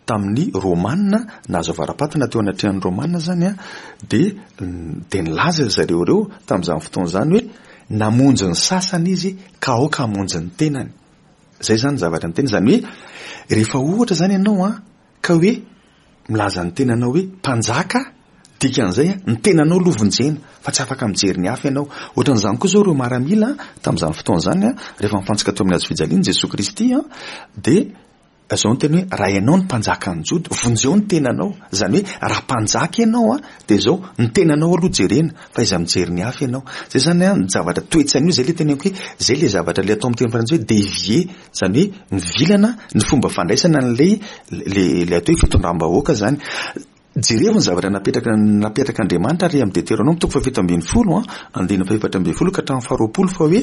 tamin'ny Romana, nahazo avara-patina teo anatrehan'ny Romana izany an, dia dia nilaza ry zareo ireo tamin'izany fotoana izany hoe namonjy ny sasany izy ka aoka hamonjy ny tenany. Izay izany ny zavatra niteny, izany hoe rehefa ohatra izany ianao an, ka hoe milaza ny tenanao hoe mpanjaka, dikan'izay an, ny tenanao aloha vonjena fa tsy afaka mijery ny hafa ianao. Ohatran'izany koa izao ireo maramila tamin'izany fotoana izany an, rehefa nifantsika teo amin'ny hazo fijaliana Jesoa Kristy an, dia izao ny teny hoe raha ianao no mpanjakan'ny Jody, vonjeo ny tenanao. Izany hoe raha mpanjaka ianao an, dia izao, ny tenanao aloha jerena fa aiza mijery ny hafa ianao. Izay izany an, ny zavatra toe-tsaina io, izay ilay teneniko hoe izay ilay zavatra ilay atao amin'ny teny frantsay hoe dévier. Izany hoe mivilana ny fomba fandraisana an'ilay ilay atao hoe fitondram-bahoaka izany. Jerevo ny zavatra napetraka napetrak'Andriamanitra ary amin'ny Deteronoma toko fahafito ambin'ny folo an, andininy fahefatra ambin'ny folo ka hatramin'ny faharoapolo fa hoe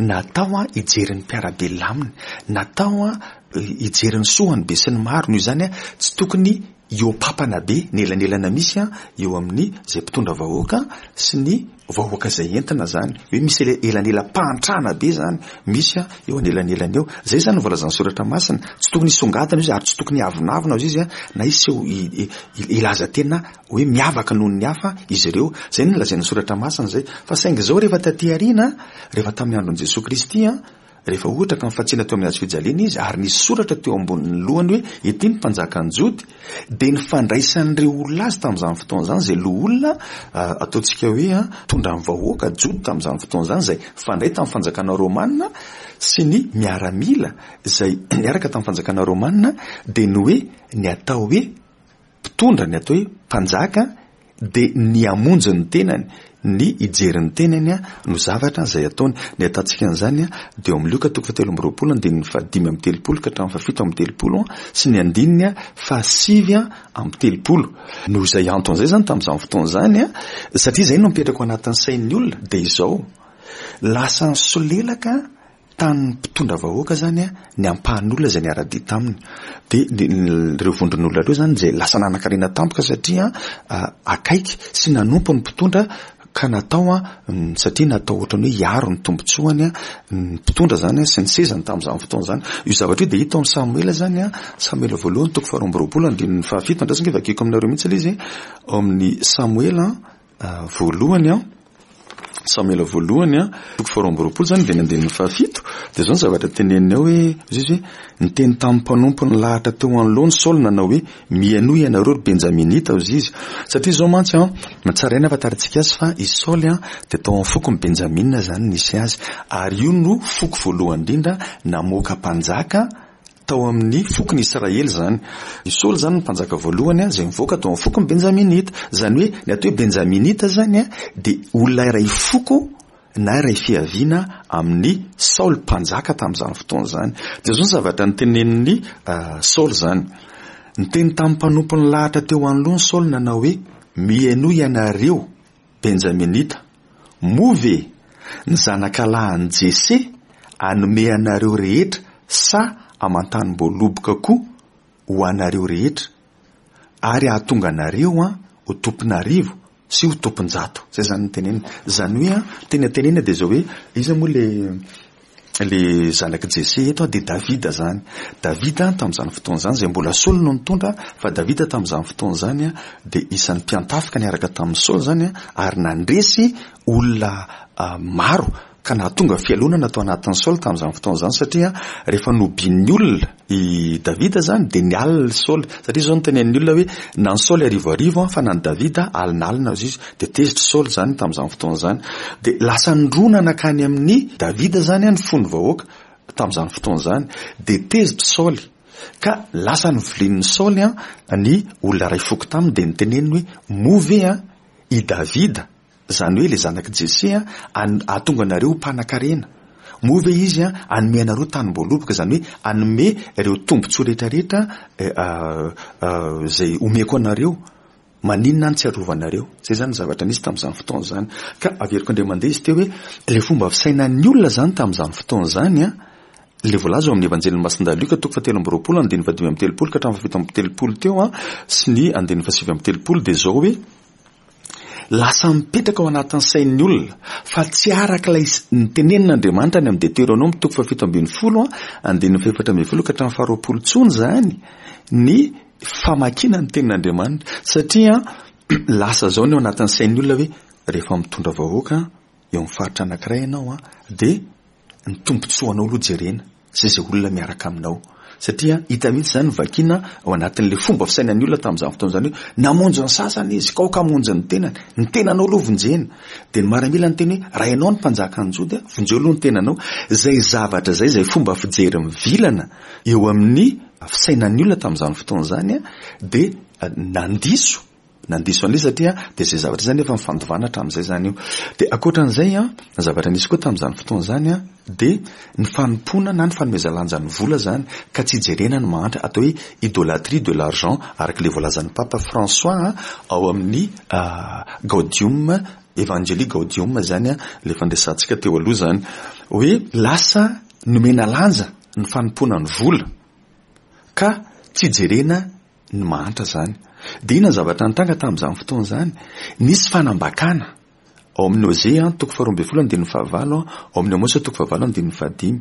natao an hijery ny mpiara-belona aminy, natao an hijery ny soa an'ny besinimaro, noho izany an tsy tokony hihoa-papana be ny elanelana misy an eo amin'ny izay mpitondra vahoaka sy ny vahoaka izay entina izany, hoe misy elanelam-pahantrana be izany misy eo anelanelany eo. Izay izany no voalazan'ny soratra masina, tsy tokony hisongadina izy ary tsy tokony hiavonavona hozy izy na hiseho hilaza tena hoe miavaka noho ny hafa izy ireo. Izay no nolazain'ny soratra masina izay. Fa saingy izao rehefa taty aoriana, rehefa tamin'ny andron'i Jesoa Kristy, Rehefa ohatra ka nifantsina teo amin'ny hazo fijaliana izy ary nisy soratra teo ambonin'ny lohany hoe ity ny mpanjakan'ny Jody, dia ny fandraisan'ireo olona azy tamin'izany fotoana izany, izay loholona ataontsika hoe mpitondra ny vahoaka Jody tamin'izany fotoana izany, izay nifandray tamin'ny fanjakana romana sy ny miaramila izay niaraka tamin'ny fanjakana romana, dia ny hoe ny atao hoe mpitondra, ny atao hoe mpanjaka dia ny hamonjy ny tenany, ny hijery ny tenany no zavatra izay ataony. Ny ahitantsika an'izany dia ao amin'ny Lioka toko fahatelo amby roapolo andininy fahadimy amby telopolo ka hatramin'ny fahafito amby telopolo sy ny andininy fahasivy amby telopolo. Noho izay antony izay izany tamin'izany fotoana izany, satria izay no mipetraka ao anatin'ny sain'ny olona, dia izao, lasa nisolelaka Tamin'ny mpitondra vahoaka izany ny ampahan'olona izay niara-dia taminy. Dia ireo vondron'olona ireo izany izay lasa nanan-karena tampoka satria akaiky sy nanompo ny mpitondra ka natao satria natao ohatran'ny hoe hiaro ny tombontsoany ny mpitondra izany sy ny sezany tamin'izany fotoana izany. Io zavatra io dia hita ao amin'ny Samoela izany, Samoela voalohany toko faharoa amby roapolo andininy fahafito. Andraso ange vakiko aminareo mihitsy ilay izy ao amin'ny Samoela. Voalohany an, Samoela voalohany an, toko faharoa amby roapolo izany dia ny andininy fahafito, dia izao ny zavatra teneniny ao hoe, hoy izy hoe, niteny tamin'ny mpanompo nilahatra teo anoloany Saoly nanao hoe, Mihainoa ianareo ry Benjaminita, hoy izy. Satria izao mantsy an, tsara ihany ahafantarantsika azy fa i Saoly an, dia tao amin'ny fokon'i Benjamina izany nisy azy, ary io no foko voalohany indrindra namoaka mpanjaka, Tao amin'ny fokon'i Israely izany. I Saoly izany no mpanjaka voalohany izay nivoaka tao amin'ny fokon'ny Benjaminita. Izany hoe ny atao hoe Benjaminita izany dia olona iray foko na iray fiaviana amin'i Saoly mpanjaka tamin'izany fotoana izany. Dia izao ny zavatra notenenin'i Saoly izany. Niteny tamin'ny mpanompony lahatra teo anoloany Saoly nanao hoe, Mihainoa ianareo, Benjaminita, moa ve ny zanakalahin'i Jese hanome anareo rehetra sa aman-tanim-boaloboka koa ho anareo rehetra, ary hahatonga anareo ho tompon'arivo sy ho tompon-jato? Izay izany no teneniny. Izany hoe, tena tenenina dia izao hoe, iza moa ilay Ilay zanak'i Jese eto dia Davida izany. Davida tamin'izany fotoana izany, izay mbola Saoly no nitondra, fa Davida tamin'izany fotoana izany dia isan'ny mpiantafika niaraka tamin'i Saoly izany ary nandresy olona maro ka nahatonga fialonana tao anatin'i Saoly tamin'izany fotoana izany satria rehefa nobian'ny olona I Davida izany dia nialona i Saoly, satria izao no tenenin'ny olona hoe, na an'i Saoly arivoarivo fa na an'i Davida alinalina hozy izy. Dia tezitra i Saoly izany tamin'izany fotoana izany. Dia lasa nirona nankany amin'i Davida izany ny fon'ny vahoaka tamin'izany fotoana izany. Dia tezitra i Saoly, ka lasa novilian'i Saoly ny olona iray foko taminy, dia noteneniny hoe, moa ve i Davida, Izany hoe ilay zanak'i Jese hahatonga anareo ho mpanankarena. Moa ve Izy hanome anareo tanim-boaloboka, izany hoe hanome ireo tombontsoa rehetrarehetra izay omeko anareo? Maninona no tsy arovanareo? Izay izany ny zavatra nisy tamin'izany fotoana izany. Ka averiko indray mandeha izy teo hoe ilay fomba fisainan'ny olona izany tamin'izany fotoana izany an, ilay voalaza ao amin'ny Evanjelin'i Masindahy Lioka toko fahatelo amby 20 andininy fahadimy amby 30 ka hatramin'ny fahafito amby 30 teo an, sy ny andininy fahasivy amby 30 dia izao hoe, Lasa mipetraka ao anatin'ny sain'ny olona fa tsy araka ilay nitenenin'Andriamanitra any amin'ny Deteronoma toko faha-17 andininy faha-14 ka hatramin'ny faha-20 intsony izany ny famakiana ny tenin'Andriamanitra satria lasa izao ny ao anatin'ny sain'ny olona hoe rehefa mitondra vahoaka eo amin'ny faritra anankiray ianao dia ny tombontsoanao aloha jerena sy izay olona miaraka aminao. Satria hita mihitsy izany vakiana ao anatin'ilay fomba fisainan'ny olona tamin'izany fotoana izany hoe namonjy ny sasany izy, ka aoka hamonjy ny tenany. Ny tenanao aloha vonjena. Dia ny maramila niteny hoe raha ianao no mpanjakan'ny Joda, vonjeo aloha ny tenanao. Izay zavatra izay, izay fomba fijery mivilana eo amin'ny fisainan'ny olona tamin'izany fotoana izany dia nandiso Nandiso an'ilay izy satria dia izay zavatra izay nefa nifandovana hatramin'izay izany io. Dia ankoatran'izay an, ny zavatra nisy koa tamin'izany fotoana izany an, dia ny fanompoana na ny fanomezan-lanja ny vola izany ka tsy ijerena ny mahantra, atao hoe idolatrie de l'argent araka ilay voalazan'ny Papa François ao amin'ny Gaudium Evangelii Gaudium izany an, ilay fandresantsika teo aloha izany, hoe lasa nomena lanja ny fanompoana ny vola ka tsy ijerena ny mahantra izany. Dia inona ny zavatra nitranga tamin'izany fotoana izany? Nisy fanambakana ao amin'ny Hosea toko faharoa ambin'ny folo andininy fahavalo, ao amin'ny Amosa toko fahavalo andininy fahadimy.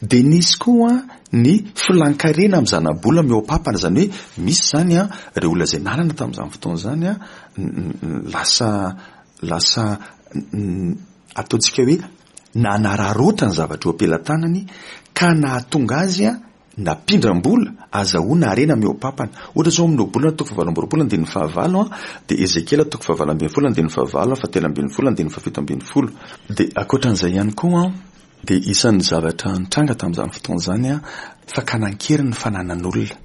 Dia nisy koa ny filan-karena amin'ny zanabola mihoa-pampana, izany hoe misy izany ireo olona izay nanana tamin'izany fotoana izany lasa lasa ataontsika hoe nanararaotra ny zavatra eo am-pelatanany ka nahatonga azy Nampindram-bola, azahoana harena mihoa-pampana. Ohatra izao amin'ny Ohabolana toko fahavalo amby 20 andininy fahavalo dia Ezekiela toko fahavalo ambin'ny folo andininy fahavalo, fahatelo ambin'ny folo andininy fahafito ambin'ny folo. Dia ankoatran'izay ihany koa dia isan'ny zavatra nitranga tamin'izany fotoana izany fakana an-keriny ny fananan'olona.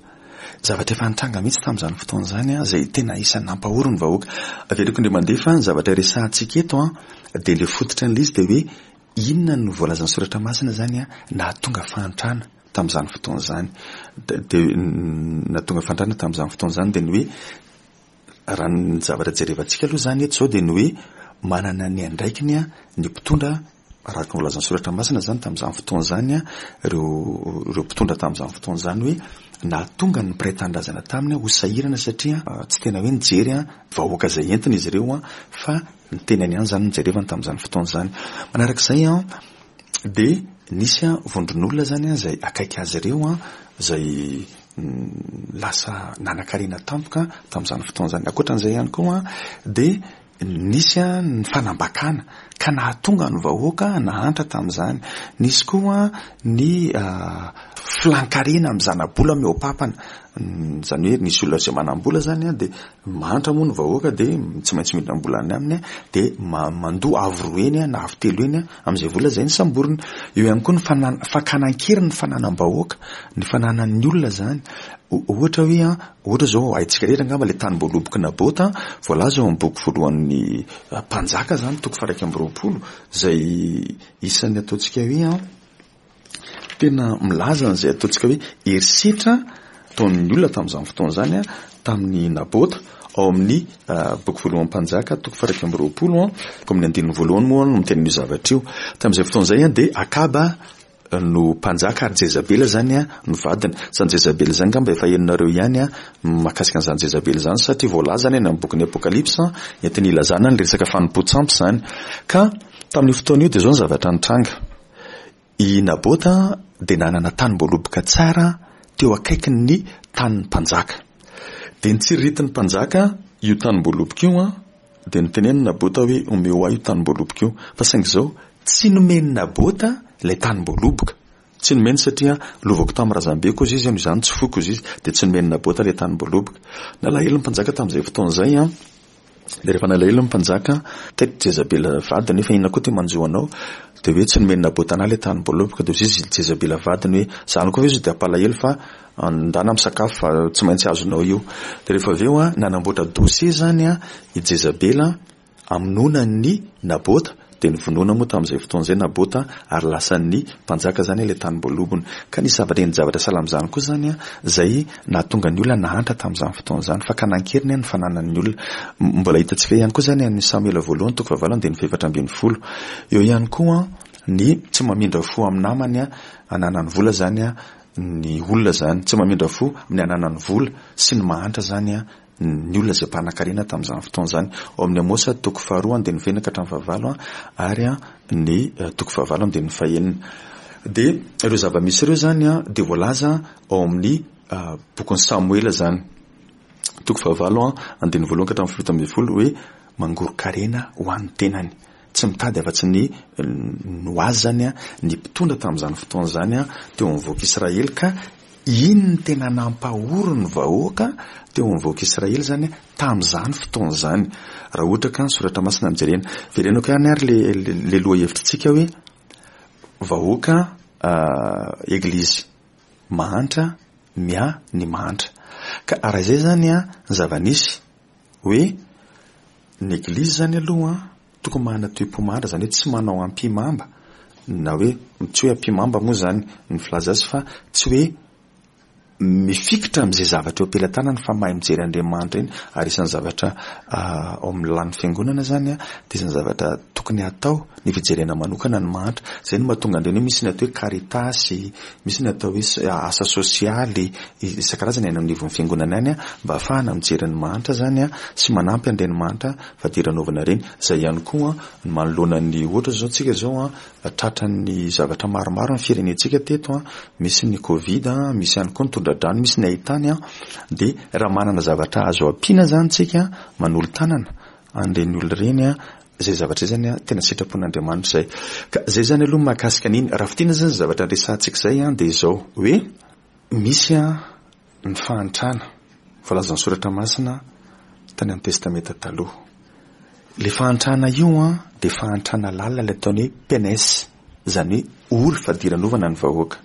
Zavatra efa nitranga mihitsy tamin'izany fotoana izany izay tena isan'ny nampahory ny vahoaka. Averiko indray mandeha fa ny zavatra resahantsika eto dia ilay fototra an'ilay izy dia hoe Inona no voalazan'ny Soratra Masina izany nahatonga fahantrana tamin'izany fotoana izany? Dia nahatonga fahantrana tamin'izany fotoana izany dia ny hoe raha ny zavatra jerevantsika aloha izany eto izao dia ny hoe manana ny andraikiny ny mpitondra araka ny voalazan'ny Soratra Masina izany tamin'izany fotoana izany ireo ireo mpitondra tamin'izany fotoana izany hoe nahatonga ny mpiray tanindrazana taminy ho sahirana satria tsy tena hoe nijery vahoaka izay entina izy ireo fa Ny tenany ihany izany no jerevany tamin'izany fotoana izany. Manaraka izay dia nisy vondron'olona izany izay akaiky azy ireo izay lasa nanankarena tampoka tamin'izany fotoana izany. Ankoatran'izay ihany koa dia nisy ny fanambakana ka nahatonga ny vahoaka nahantra tamin'izany. Nisy koa ny filan-karena amin'ny zana-bola mihoa-pampana. Izany hoe nisy olona izay manam-bola izany dia Mahantra moa ny vahoaka dia tsy maintsy mindram-bola any aminy dia mandoa avo roa heny na avo telo heny amin'izay vola izay nosamboriny. Eo ihany koa ny fakana an-keriny ny fananam-bahoaka, ny fananan'ny olona izany. Ohatra hoe ohatra izao haintsika rehetra angamba ilay tanim-boalobok'i Nabota voalaza ao amin'ny boky voalohan'ny Mpanjaka izany toko faha-21 izay isan'ny ataontsika hoe Tena milaza an'izay ataontsika hoe herisetra ataon'ny olona tamin'izany fotoana izany tamin'i Nabota ao amin'ny boky voalohan'ny Mpanjaka toko faha-21 toko amin'ny andininy voalohany moa no miteny an'io zavatra io. Tamin'izay fotoana izay dia Akaba no mpanjaka ary Jezabela izany no vadiny. Izany Jezabela izany angamba efa henonareo ihany mahakasika an'izany Jezabela izany satria voalaza any amin'ny bokin'ny Apokalypsa entiny ilazana ny resaka fanompoan-tsampy izany. Ka tamin'io fotoana io dia izao ny zavatra nitranga. I Nabota dia nanana tanim-boaloboka tsara teo akaikin'ny tanin'ny mpanjaka. Dia notsiriritin'ny mpanjaka io tanim-boaloboka io, dia notenenin'i Nabota hoe, Omeo ahy io tanim-boaloboka io. Fa saingy izao, tsy nomen'i Nabota ilay tanim-boaloboka. Tsy nomeny satria lovako tamin'ny razambeko hozy izy, noho izany tsy foiko hozy izy. Dia tsy nomen'i Nabota ilay tanim-boaloboka. Nalahelo ny mpanjaka tamin'izay fotoana izay. Dia rehefa nalahelo ny mpanjaka, taitra Jezabela vadiny hoe fa inona koa ity manjo anao? Dia hoe tsy nomen'i Nabota an'ahy ilay tanim-boaloboka. Dia hoy izy Jezabela vadiny hoe, izany koa ve izy dia hampalahelo fa ndana misakafo fa tsy maintsy azonao io. Dia rehefa avy eo, nanamboatra dossier izany i Jezabela hamonoana an'i Nabota. Dia novonoina moa tamin'izay fotoana izay Nabota ary lasan'ny mpanjaka izany ilay tanim-boalobony. Ka nisy zavatra endri-javatra sahala amin'izany koa izany izay nahatonga ny olona nahantra tamin'izany fotoana izany. Fakana an-keriny ny fananan'ny olona. Mbola hitantsika ihany koa izany amin'ny Samoela voalohany toko fahavalo andininy fahefatra ambinifolo. Eo ihany koa ny tsy mamindra fo amin'ny namany ananany vola izany ny olona izany. Tsy mamindra fo amin'ny ananany vola sy ny mahantra izany ny olona izay mpanankarena tamin'izany fotoana izany. Ao amin'ny Amosa toko faharoa andininy fahenina ka hatramin'ny fahavalo ary ny toko fahavalo andininy fahenina. Dia ireo zava-misy ireo izany dia voalaza ao amin'ny bokin'i Samoela izany. Toko fahavalo andininy voalohany ka hatramin'ny 17 hoe mangoron-karena ho an'ny tenany. Tsy mitady afa-tsy ny ho azy izany ny mpitondra tamin'izany fotoana izany teo amin'ny vahoaka Israely ka Iny no tena nampahory ny vahoaka teo amin'ny vahoaka Israely izany tamin'izany fotoana izany. Raha ohatra ka ny soratra masina no jerena. Verenako ihany ary le le lohahevitritsika hoe vahoaka eglizy mahantra miahy ny mahantra. Ka raha izay izany ny zava-nisy hoe ny eglizy izany aloha Tokony manana toe-po mahantra, izany hoe tsy manao ampihimamba, na hoe tsy hoe ampihimamba moa izany ny filaza azy fa tsy hoe mifikitra amin'izay zavatra eo am-pelatanany fa mahay mijery Andriamanitra iny ary isan'ny zavatra ao amin'ny lalàn'ny fiangonana izany dia isan'ny zavatra tokony hatao ny fijerena manokana ny mahantra. Izay no mahatonga an'ireny hoe misy ny atao hoe caritas, misy ny atao hoe asa sosialy isan-karazany any anivon'ny fiangonana any mba hahafahana mijery ny mahantra izany sy manampy an'ireny mahantra fadiranovana ireny. Izay ihany koa ny manoloana ny ohatra izao tsika izao tratran'ny zavatra maromaro ny firenentsika teto, misy ny covid, misy ihany koa ny tondra-drano, misy ny haitany dia raha manana zavatra azo ampiana izany tsika manolo-tanana an'ireny olona ireny izay zavatra izay zany tena sitrapon'Andriamanitra izay. Ka izay zany aloha mahakasika an'iny. Raha fintinina zany zavatra resahantsika izay dia izao hoe misy ny fahantrana voalazan'ny soratra masina tany amin'ny testamenta taloha. Ilay fahantrana io dia fahantrana lalina ilay ataony hoe penes, izany hoe ory fadiranovana ny vahoaka.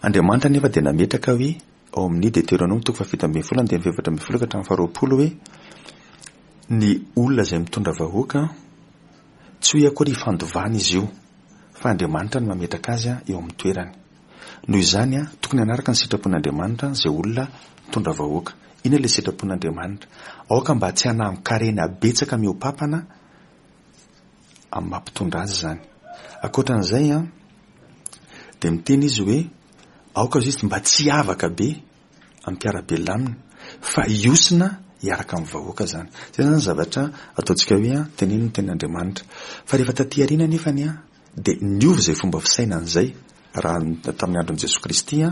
Andriamanitra anefa dia nametraka hoe ao amin'ny Deteronoma toko fahafito ambinifolo andininy fahefatra ambinifolo ka hatramin'ny faharoapolo hoe ny olona izay mitondra vahoaka tsy hoe akory ifandovana izy io fa Andriamanitra no mametraka azy eo amin'ny toerany. Noho izany, tokony hanaraka ny sitrapon'Andriamanitra izay olona mitondra vahoaka. Inona ilay sitrapon'Andriamanitra? Aoka mba tsy hanangon-karena betsaka mihoa-papana amin'ny maha mpitondra azy izany. Ankoatra an'izay, dia miteny izy hoe aoka izy mba tsy hiavaka be amin'ny mpiara-belona aminy fa hiosina hiaraka amin'ny vahoaka izany. Izay izany ny zavatra ataontsika hoe tenenin'ny tenin'Andriamanitra. Fa rehefa taty aoriana anefany dia niova izay fomba fisainana izay raha tamin'ny andron'i Jesoa Kristy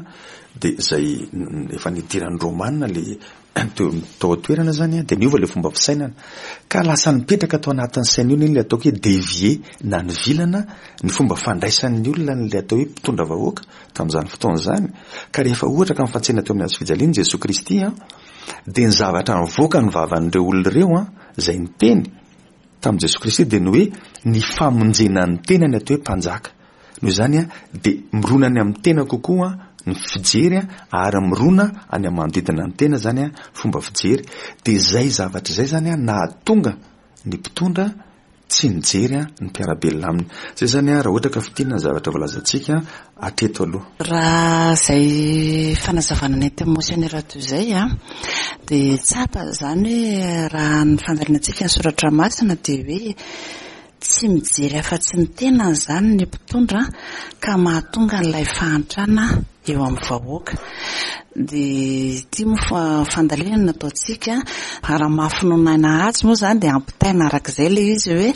dia izay efa nidiran'ny Romana le teo tao an-toerana izany dia niova ilay fomba fisainana ka lasa nipetraka tao anatin'ny sain'ny olona ilay ataoko hoe dévier na nivilana ny fomba fandraisan'ny olona an'ilay atao hoe mpitondra vahoaka tamin'izany fotoana izany ka rehefa ohatra ka mifantsena teo amin'ny hazo fijaliana Jesoa Kristy dia ny zavatra nivoaka ny vavan'ireo olona ireo izay niteny tamin'i Jesoa Kristy dia ny hoe ny famonjena ny tena ny atao hoe mpanjaka. Noho izany dia mirona any amin'ny tena kokoa ny fijery ary mirona any amin'ny manodidina ny tena izany fomba fijery. Dia izay zavatra izay izany nahatonga ny mpitondra tsy nijery ny mpiara-belona aminy. Izay izany raha ohatra ka fintinina ny zavatra voalazantsika hatreto aloha. Raha izay fanazavana nentin'i Monseigneur teo izay dia tsapa izany hoe raha ny fandalinantsika ny soratra masina dia hoe tsy mijery afa-tsy ny tenany izany ny mpitondra ka mahatonga an'ilay fahantrana eo amin'ny vahoaka. Dia ity moa fandalinana nataontsika, raha maha finoana azy moa izany dia ampitaina araka izay ilay izy hoe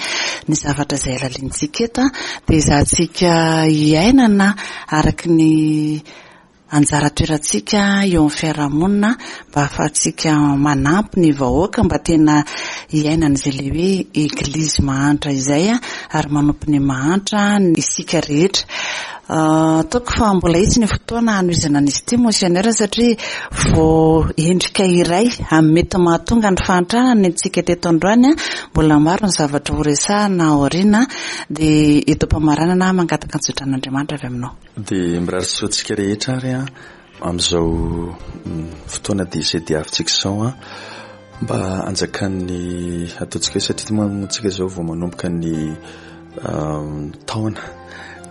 ny zavatra izay halalintsika eto dia ezahantsika hiainana araka ny anjara toerantsika eo amin'ny fiarahamonina mba ahafahantsika manampy ny vahoaka mba tena hiainana izay ilay hoe eglizy mahantra izay ary manompo ny mahantra isika rehetra. Ataoko fa mbola hisy ny fotoana hanohizana an'izy ity Monseigneur satria vao endrika iray amin'ny mety mahatonga ny fahantrana ny antsika teto androany, mbola maro ny zavatra ho resahana aoriana dia eto am-pamaranana mangataka ny zotran'Andriamanitra avy aminao. Dia mirary soa antsika rehetra ary amin'izao fotoana dia izay diavintsika izao mba hanjakan'ny ataontsika hoe satria moa tsika izao vao manomboka ny. taona.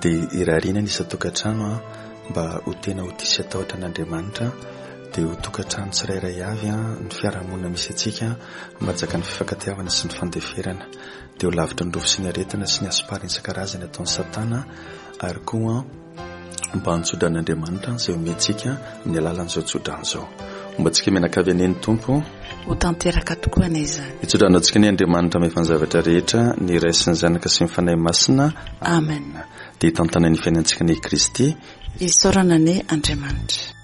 Dia irariana ny isan-tokantrano mba ho tena ho tia sy hatahotra an'Andriamanitra, dia ho tokantrano tsirairay avy ny fiarahamonina misy antsika mba hanjakan'ny fifankatiavana sy ny fandeferana. Dia ho lavitry ny rofy sy ny aretina sy ny hasomparana isan-karazany ataon'i Satana ary koa mba hantso-dran'Andriamanitra izay omentsika amin'ny alalan'izao tso-drano izao. Homba antsika mianakavy anie ny Tompo. Ho tanteraka tokoa anie izany. Hitso-drano antsika anie Andriamanitra mahefa ny zavatra rehetra, ny Ray sy ny Zanaka sy ny Fanahy Masina. Amen. Dia hitantana ny fiainantsika anie Kristy. Isaorana anie Andriamanitra.